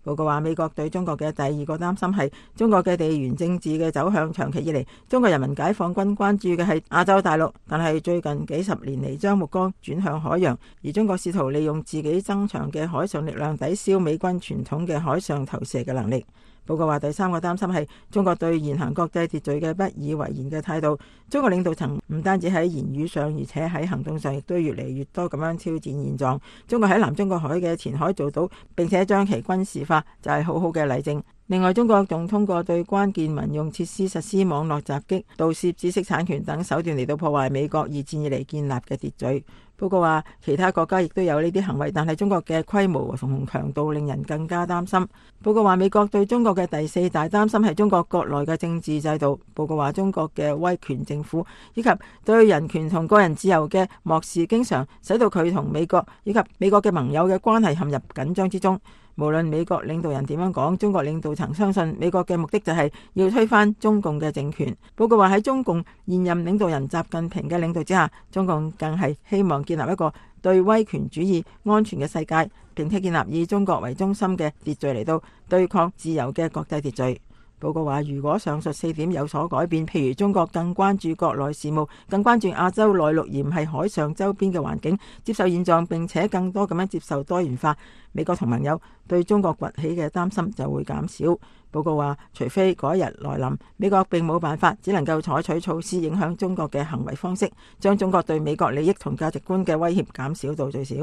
Speaker 8: 報告話，美國對中國嘅第二個擔心係中國嘅地緣政治嘅走向。長期以嚟，中國人民解放軍關注嘅係亞洲大陸，但係最近幾十年嚟將目光轉向海洋，而中國試圖利用自己增強嘅海上力量抵消美軍傳統嘅海上投射嘅能力。報告話，第三個擔心係中國對現行國際秩序嘅不以為然嘅態度。中國領導層唔單止喺言語上，而且喺行動上亦都越嚟越多咁樣挑戰現狀。中國喺南中國海嘅前海做到，並且將其軍事化，就係好好嘅例證。另外，中國仲通過對關鍵民用設施實施網絡襲擊、盜竊知識產權等手段嚟到破壞美國二戰以嚟建立嘅秩序。報告話，其他國家亦都有呢啲行為，但係中國嘅規模同強度令人更加擔心。報告話，美國對中國嘅第四大擔心係中國國內嘅政治制度。報告話，中國嘅威權政府以及對人權同個人自由嘅漠視，經常使到佢同美國以及美國嘅盟友嘅關係陷入緊張之中。無論美國領導人點樣講，中國領導層相信美國嘅目的就係要推翻中共嘅政權。報告話，喺中共現任領導人習近平嘅領導之下，中共更係希望建立一個對威權主義安全嘅世界，並且建立以中國為中心嘅秩序嚟到對抗自由嘅國際秩序。報告話，如果上述四點有所改變，譬如中國更關注國內事務，更關注亞洲內陸而唔係海上周邊嘅環境，接受現狀並且更多咁樣接受多元化，美國同盟友對中國崛起嘅擔心就會減少。報告話，除非嗰一日來臨，美國並冇辦法，只能夠採取措施影響中國嘅行為方式，將中國對美國利益同價值觀嘅威脅減少到最少。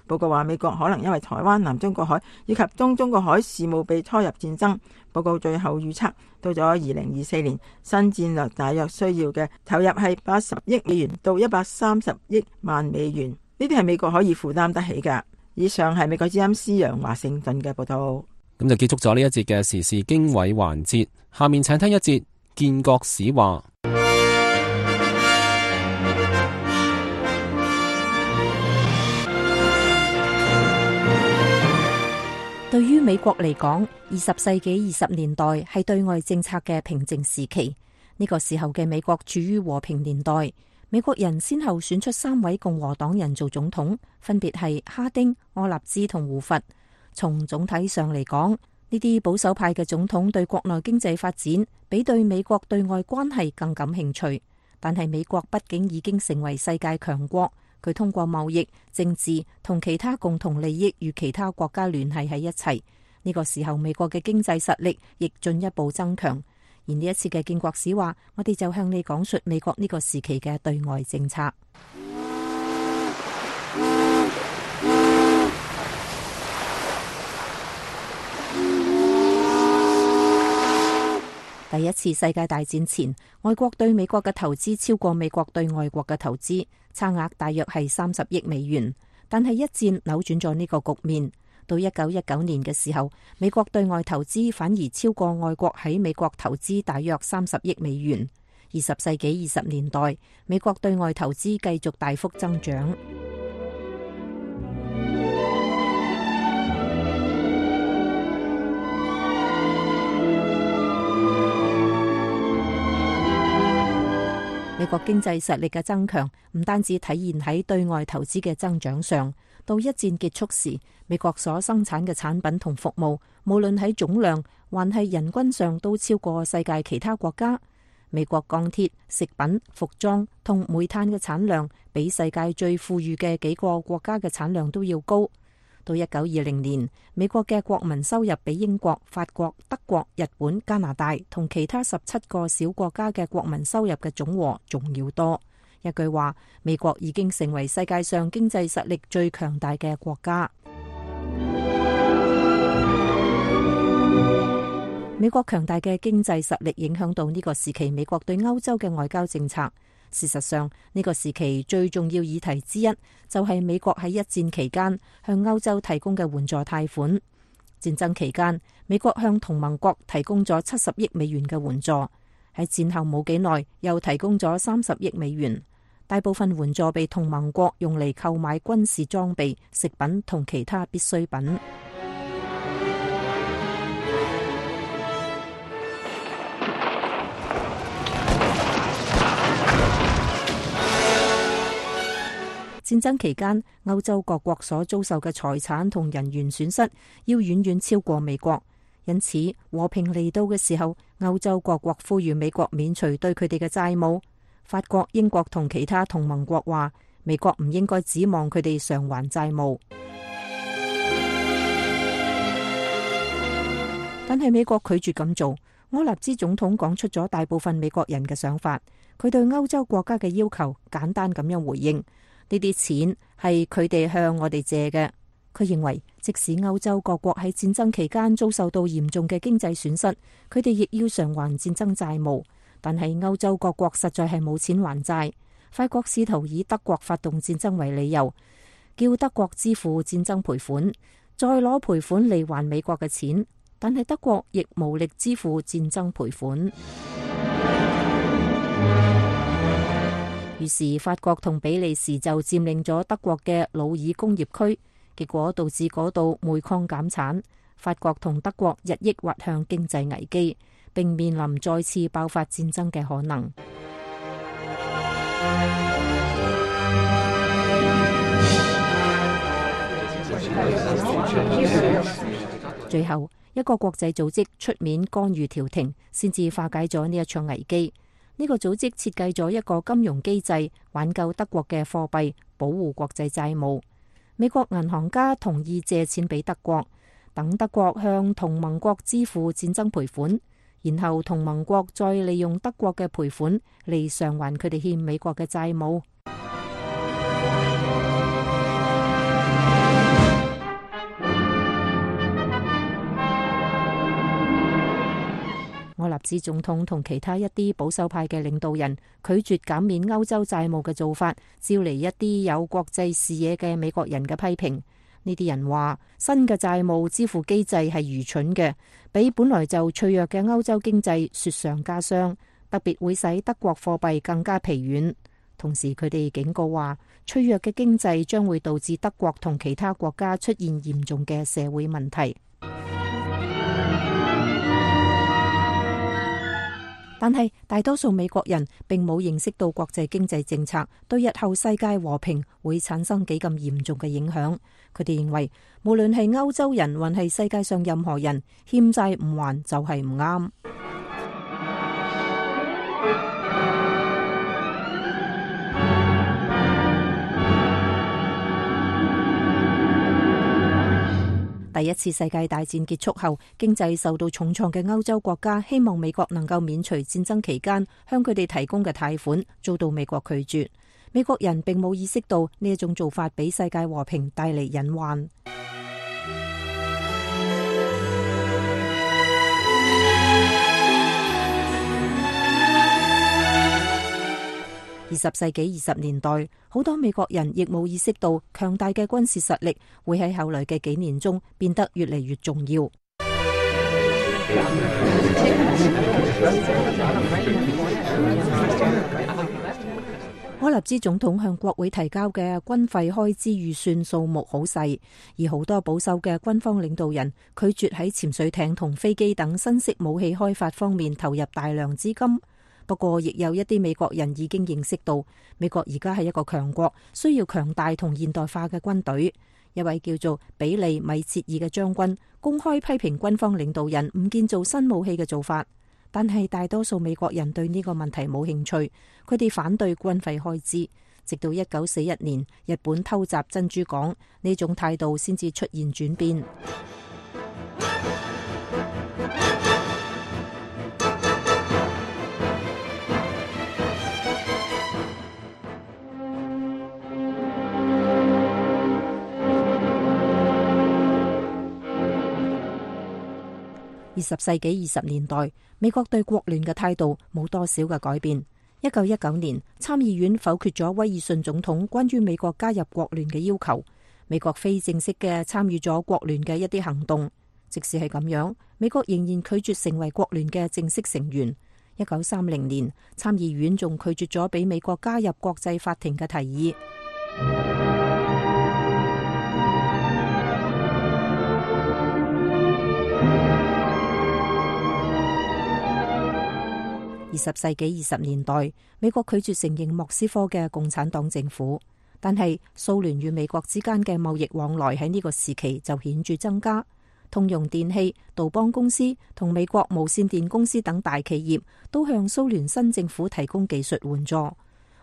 Speaker 8: 報告話，美國可能因為台灣、南中國海以及東中國海事務被拖入戰爭。報告最後預測，到咗二零二四年，新戰略大約需要嘅投入係八十億美元到一百三十億萬美元，呢啲係美國可以負擔得起㗎。以上係美國之音施陽華盛頓嘅報道。
Speaker 3: 咁就結束咗呢一節嘅時事經緯環節，下面請聽一節建國史話。
Speaker 7: 對於美國嚟講，二十世紀二十年代係對外政策嘅平靜時期。呢個時候嘅美國處於和平年代，美國人先後選出三位共和黨人做總統，分別係哈丁、柯立茲同胡佛。從總體上嚟講，呢啲保守派嘅總統對國內經濟發展比對美國對外關係更感興趣。但係美國畢竟已經成為世界強國，佢通過貿易、政治同其他共同利益與其他國家聯繫喺一齊。呢個時候，美國嘅經濟實力亦進一步增強。而呢一次嘅建國史話，我哋就向你講述美國呢個時期嘅對外政策。第一次世界大戰前，外國對美國嘅投資超過美國對外國嘅投資，差額大約係三十億美元。但係一戰扭轉咗呢個局面，到一九一九年嘅時候，美國對外投資反而超過外國喺美國投資大約三十億美元。二十世紀二十年代，美國對外投資繼續大幅增長。美國經濟實力嘅增強唔單止體現喺對外投資嘅增長上，到一戰結束時，美國所生產嘅產品同服務，無論喺總量還係人均上，都超過世界其他國家。美國鋼鐵、食品、服裝同煤炭嘅產量，比世界最富裕嘅幾個國家嘅產量都要高。到一九二零年，美國嘅國民收入比英國、法國、德國、日本、加拿大同其他十七個小國家嘅國民收入嘅總和仲要多。一句話，美國已經成為世界上經濟實力最強大嘅國家。美國強大嘅經濟實力影響到呢個時期美國對歐洲嘅外交政策。事實上，呢個時期最重要議題之一就係美國喺一戰期間向歐洲提供嘅援助貸款。戰爭期間，美國向同盟國提供咗七十億美元嘅援助，喺戰後冇幾耐又提供咗三十億美元。大部分援助被同盟國用嚟購買軍事裝備、食品同其他必需品。戰爭期間，歐洲各國所遭受嘅財產同人員損失要遠遠超過美國，因此和平嚟到嘅時候，歐洲各國呼籲美國免除對佢哋嘅債務。法國、英國同其他同盟國話，美國唔應該指望佢哋償還債務。但係美國拒絕咁做。柯納茲總統講出咗大部分美國人嘅想法，佢對歐洲國家嘅要求簡單咁樣回應。呢啲錢係佢哋向我哋借嘅。佢認為，即使歐洲各國喺戰爭期間遭受到嚴重嘅經濟損失，佢哋亦要償還戰爭債務。但係歐洲各國實在係冇錢還債。法國試圖以德國發動戰爭為理由，叫德國支付戰爭賠款，再攞賠款嚟還美國嘅錢。但係德國亦無力支付戰爭賠款。於是法國同比利時就佔領咗德國嘅魯爾工業區，結果導致嗰度煤礦減產。法國同德國日益滑向經濟危機，並面臨再次爆發戰爭嘅可能。最後，一個國際組織出面干預調停，先至化解咗呢一場危機。呢個組織設計咗一個金融機制，挽救德國嘅貨幣，保護國際債務。美國銀行家同意借錢俾德國，等德國向同盟國支付戰爭賠款，然後同盟國再利用德國嘅賠款嚟償還佢哋欠美國嘅債務。柯納茲總統同其他一啲保守派嘅領導人拒絕減免歐洲債務嘅做法，招嚟一啲有國際視野嘅美國人嘅批評。呢啲人話，新嘅債務支付機制係愚蠢嘅，比本來就脆弱嘅歐洲經濟雪上加霜，特別會使德國貨幣更加疲軟。同時，佢哋警告話，脆弱嘅經濟將會導致德國同其他國家出現嚴重嘅社會問題。但係大多數美國人並冇認識到國際經濟政策對日後世界和平會產生幾咁嚴重嘅影響。佢哋認為，無論係歐洲人還係世界上任何人，欠債唔還就係唔啱。第一次世界大戰結束後，經濟受到重創嘅歐洲國家希望美國能夠免除戰爭期間向佢哋提供嘅貸款，遭到美國拒絕。美國人並冇意識到呢一種做法俾世界和平帶嚟隱患。二十世紀二十年代，好多美國人亦冇意識到強大嘅軍事實力會喺後來嘅幾年中變得越嚟越重要。柯納茲總統向國會提交嘅軍費開支預算數目好細，而好多保守嘅軍方領導人拒絕喺潛水艇同飛機等新式武器開發方面投入大量資金。不過，亦有一啲美國人已經認識到，美國而家係一個強國，需要強大同現代化嘅軍隊。一位叫做比利米切爾嘅將軍公開批評軍方領導人唔建造新武器嘅做法，但係大多數美國人對呢個問題冇興趣，佢哋反對軍費開支，直到一九四一年日本偷襲珍珠港，呢種態度先至出現轉變。二十世紀二十年代，美國對國聯嘅態度冇多少嘅改變。一九一九年，參議院否決咗威爾遜總統關於美國加入國聯嘅要求，美國非正式嘅參與咗國聯嘅一啲行動。即使係咁樣，美國仍然拒絕成為國聯嘅正式成員。一九三零年，參議院仲拒絕咗俾美國加入國際法庭嘅提議。二十世紀二十年代，美國拒絕承認莫斯科嘅共產黨政府，但係蘇聯與美國之間嘅貿易往來喺呢個時期就顯著增加。通用電氣、杜邦公司同美國無線電公司等大企業都向蘇聯新政府提供技術援助。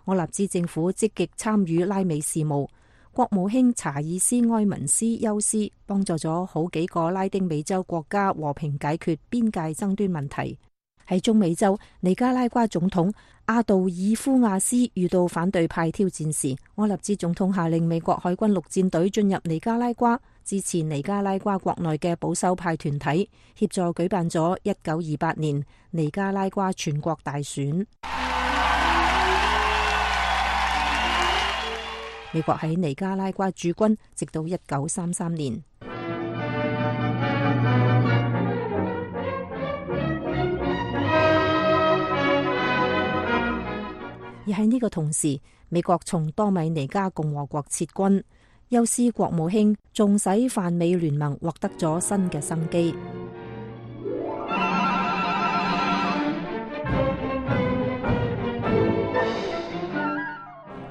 Speaker 7: 我立茲政府積極參與拉美事務，國務卿查爾斯埃文斯休斯幫助咗好幾個拉丁美洲國家和平解決邊界爭端問題。喺中美洲，尼加拉瓜總統阿杜爾夫亞斯遇到反對派挑戰時，柯立茲總統下令美國海軍陸戰隊進入尼加拉瓜，支持尼加拉瓜國內嘅保守派團體，協助舉辦咗一九二八年尼加拉瓜全國大選。美國喺尼加拉瓜駐軍，直到一九三三年。而喺呢個同時，美國從多米尼加共和國撤軍，休斯國務卿仲使泛美聯盟獲得咗新嘅生機。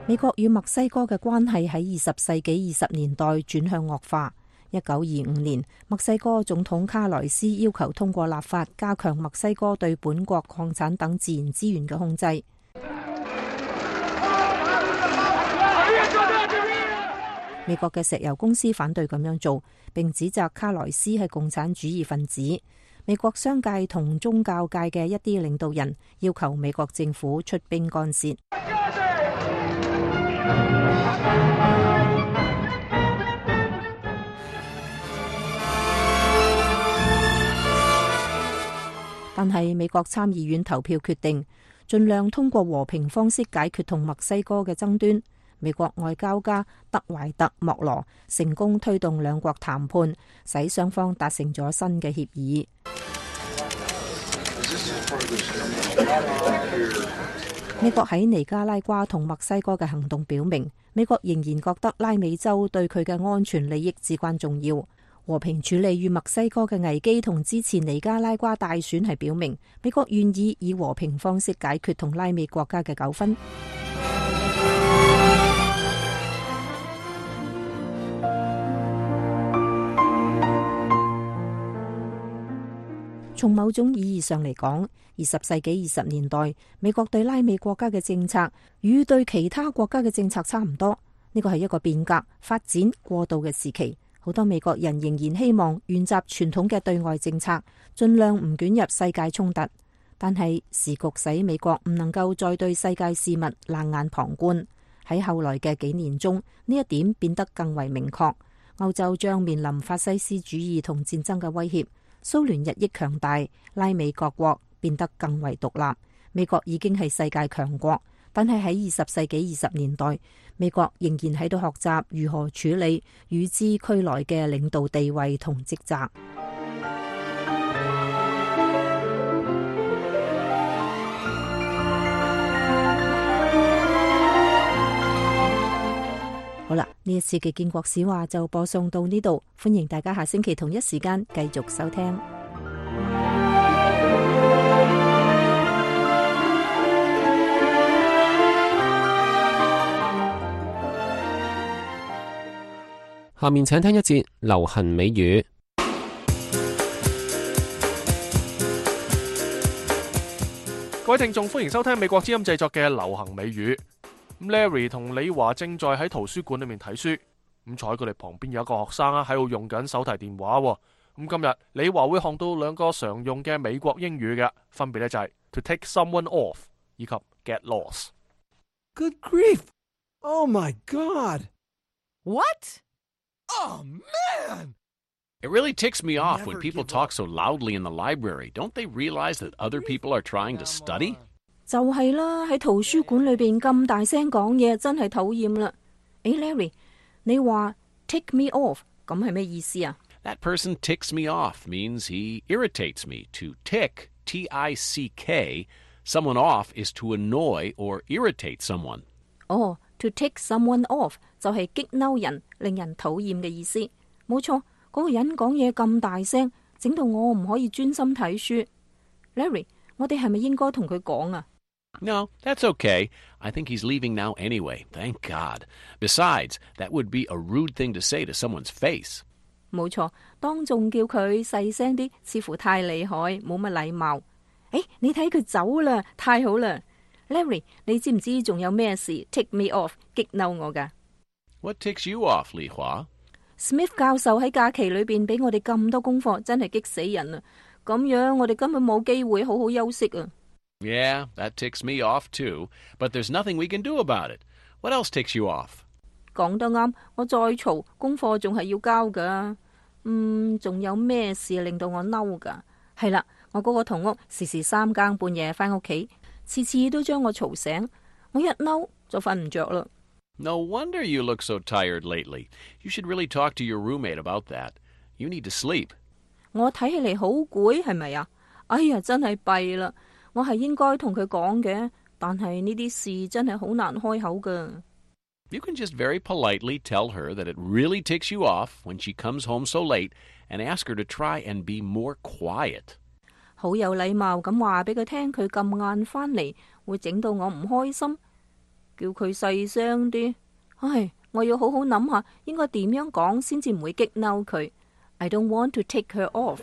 Speaker 7: 美國與墨西哥嘅關係喺二十世紀二十年代轉向惡化。一九二五年，墨西哥總統卡萊斯要求通過立法加強墨西哥對本國礦產等自然資源嘅控制。美國嘅石油公司反對咁樣做，並指責卡萊斯係共產主義分子。美國商界同宗教界嘅一啲領導人要求美國政府出兵干涉。但係美國參議院投票決定，盡量通過和平方式解決同墨西哥嘅爭端。美國外交家德懷特·莫羅成功推動兩國談判，使雙方達成咗新嘅協議。美國喺尼加拉瓜同墨西哥嘅行動表明，美國仍然覺得拉美洲對佢嘅安全利益至關重要。和平處理與墨西哥嘅危機同支持尼加拉瓜大選係表明，美國願意以和平方式解決同拉美國家嘅糾紛。從某種意義上嚟講，二十世紀二十年代美國對拉美國家嘅政策與對其他國家嘅政策差唔多。呢個係一個變革、發展、過渡嘅時期。好多美國人仍然希望沿襲傳統嘅對外政策，盡量唔捲入世界衝突。但係時局使美國唔能夠再對世界事物冷眼旁觀。喺後來嘅幾年中，呢一點變得更為明確。歐洲將面臨法西斯主義同戰爭嘅威脅。蘇聯日益強大，拉美各國變得更為獨立。美國已經係世界強國，但係喺二十世紀二十年代，美國仍然喺度學習如何處理與之俱來嘅領導地位同職責。好啦，呢一次嘅建國史話就播送到呢度，歡迎大家下星期同一時間繼續收聽。
Speaker 3: 下面請聽一節流行美語。
Speaker 2: 各位聽眾，歡迎收聽美國之音製作嘅流行美語。Larry 同李華正在喺圖書館裏面睇書，咁坐喺佢哋旁邊有一個學生啊喺度用緊手提電話。咁今日李華會學到兩個常用嘅美國英語嘅，分別咧就係 to take someone off 以及 get lost。
Speaker 9: Good grief! Oh my God!
Speaker 10: What?
Speaker 9: Oh man!
Speaker 11: It really ticks me off when people talk so loudly in the library. Don't they realize that other people are trying to study?
Speaker 7: 就係啦，喺圖書館裏邊咁大聲講嘢，真係討厭啦。誒 Larry， 你話 tick me off 咁係咩意思啊？
Speaker 11: That person ticks me off means he irritates me. To tick, T I C K, someone off is to annoy or irritate someone.
Speaker 7: 哦、oh, to tick someone off 就係激嬲人，令人討厭嘅意思。冇錯，嗰個人講嘢咁大聲，整到我唔可以專心睇書。Larry， 我哋係咪應該同佢講啊？
Speaker 11: No, that's okay. I think he's leaving now anyway. Thank God. Besides, that would be a rude thing to say to someone's face.
Speaker 7: 冇錯，當眾叫佢細聲啲，似乎太厲害，冇乜禮貌。誒，你睇佢走啦，太好啦 ！Larry， 你知唔知仲有咩事 tick me off 激嬲我㗎？
Speaker 11: What ticks you off, Li Hua?
Speaker 7: Smith 教授喺假期裏邊俾我哋咁多功課，真係激死人啊！咁樣我哋根本冇機會好好休息啊！
Speaker 11: Yeah, that ticks me off too. But there's nothing we can do about it. What else ticks you off?
Speaker 7: 講得啱，我再嘈，功課仲係要交噶。嗯，仲有咩事令到我嬲噶？係啦，我嗰個同屋時時三更半夜返屋企，次次都將我嘈醒，我一嬲就瞓唔着啦。
Speaker 11: No wonder you look so tired lately. You should really talk to your roommate about that. You need to sleep.
Speaker 7: 我睇起嚟好攰，係咪啊？哎呀，真係弊啦！我係應該同佢講嘅，但係呢啲事真係好難開口噶。
Speaker 11: You can just very politely tell her that it really ticks you off when she comes home so late and ask her to try and be more quiet.
Speaker 7: 好有禮貌咁話俾佢聽，佢咁晏返嚟會整到我唔開心，叫佢細聲啲。唉，我要好好諗下應該點樣講先至唔會激嬲佢。I don't want to take her off.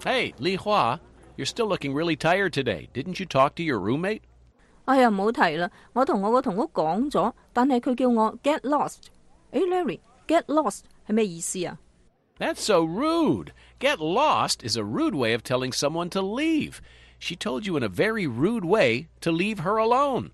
Speaker 11: Hey, Li Hua, you're still looking really tired today. Didn't you talk to your roommate?
Speaker 7: 哎呀，唔好提啦，我同我個同屋講咗，但係佢叫我 get lost。誒 Larry，get lost 係咩意思啊？
Speaker 11: That's so rude. Get lost is a rude way of telling someone to leave. She told you in a very rude way to leave her alone.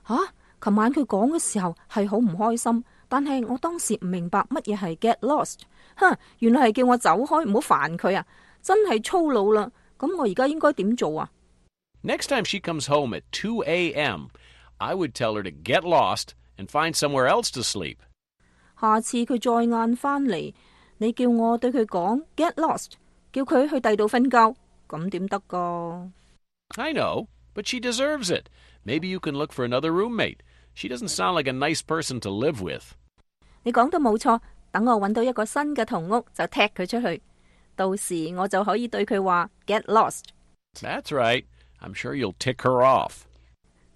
Speaker 7: 吓，琴晚佢講嘅時候係好唔開心，但係我當時唔明白乜嘢係 get lost。哼，原來係叫我走開，唔好煩佢啊！真係粗魯啦。咁我而家應該點做啊？
Speaker 11: Next time she comes home at two a.m., I would tell her to get lost and find somewhere else to sleep.
Speaker 7: 下次佢再晏返嚟，你叫我對佢講 get lost， 叫佢去第二度瞓覺，咁點得㗎？
Speaker 11: I know, but she deserves it. Maybe you can look for another roommate. She doesn't sound like a nice person to live with.
Speaker 7: 你講得冇錯，等我揾到一個新嘅同屋就踢佢出去，到時我就可以對佢話 get lost。
Speaker 11: That's right. I'm sure you'll tick her off.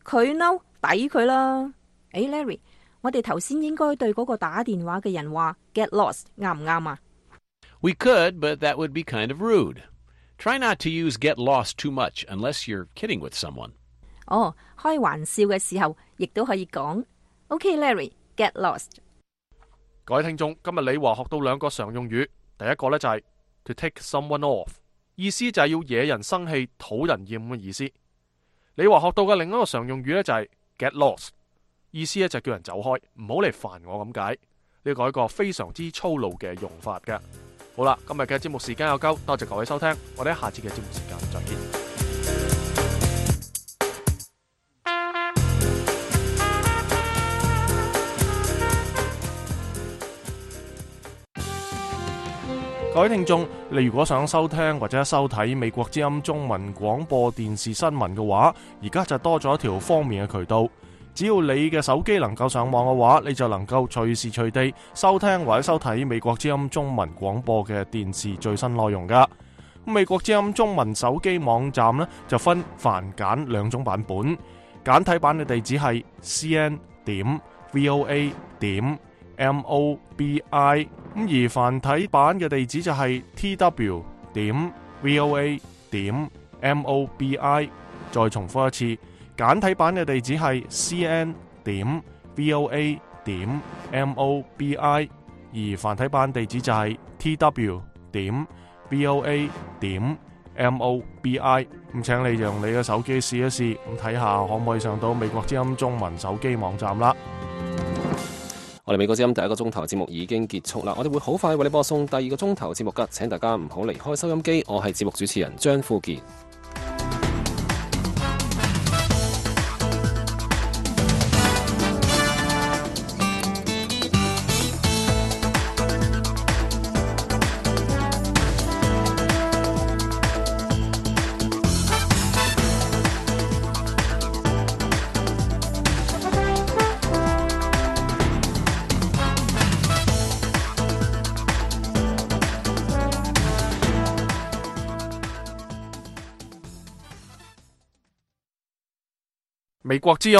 Speaker 7: 佢嬲，抵佢啦。誒 Larry， 我哋頭先應該對嗰個打電話嘅人話 get lost， 啱唔啱啊？
Speaker 11: We could, but that would be kind of rude. Try not to use get lost too much unless you're kidding with someone.
Speaker 7: 哦，開玩笑嘅時候亦都可以講。OK Larry, get lost。
Speaker 2: 各位聽眾，今日李華學到兩個常用語，第一個呢就係 to take someone off， 意思就係要惹人生氣、討人厭嘅意思。李華學到嘅另一個常用語呢就係 get lost， 意思呢就叫人走開，唔好嚟煩我咁解。呢個係一個非常之粗魯嘅用法嘅。好啦，今日嘅節目時間有夠，多謝各位收聽，我哋下次嘅節目時間再見。各位聽眾，你如果想收聽或者收睇美國之音中文廣播電視新聞嘅話，而家就多咗一條方便嘅渠道。只要你嘅手機能夠上網嘅話，你就能夠隨時隨地收聽或者收睇美國之音中文廣播嘅電視最新內容噶。美國之音中文手機網站呢，就分繁簡兩種版本，簡體版嘅地址係 c n 點 v o a 點 m o b i， 咁而繁體版嘅地址就係 t w 點 v o a 點 M O B I。再重複一次，簡體版嘅地址係 C N 點 V O A 點 M O B I， 而繁體版地址就係 T W 點 V O A 點 M O B I。咁請你用你嘅手機試一試，咁睇下可唔可以上到美國之音中文手機網站啦。
Speaker 3: 我哋美國之音第一個鐘頭節目已經結束啦，我哋會好快為你播送第二個鐘頭節目噶，請大家唔好離開收音機。我係節目主持人張富傑。
Speaker 2: 美國之音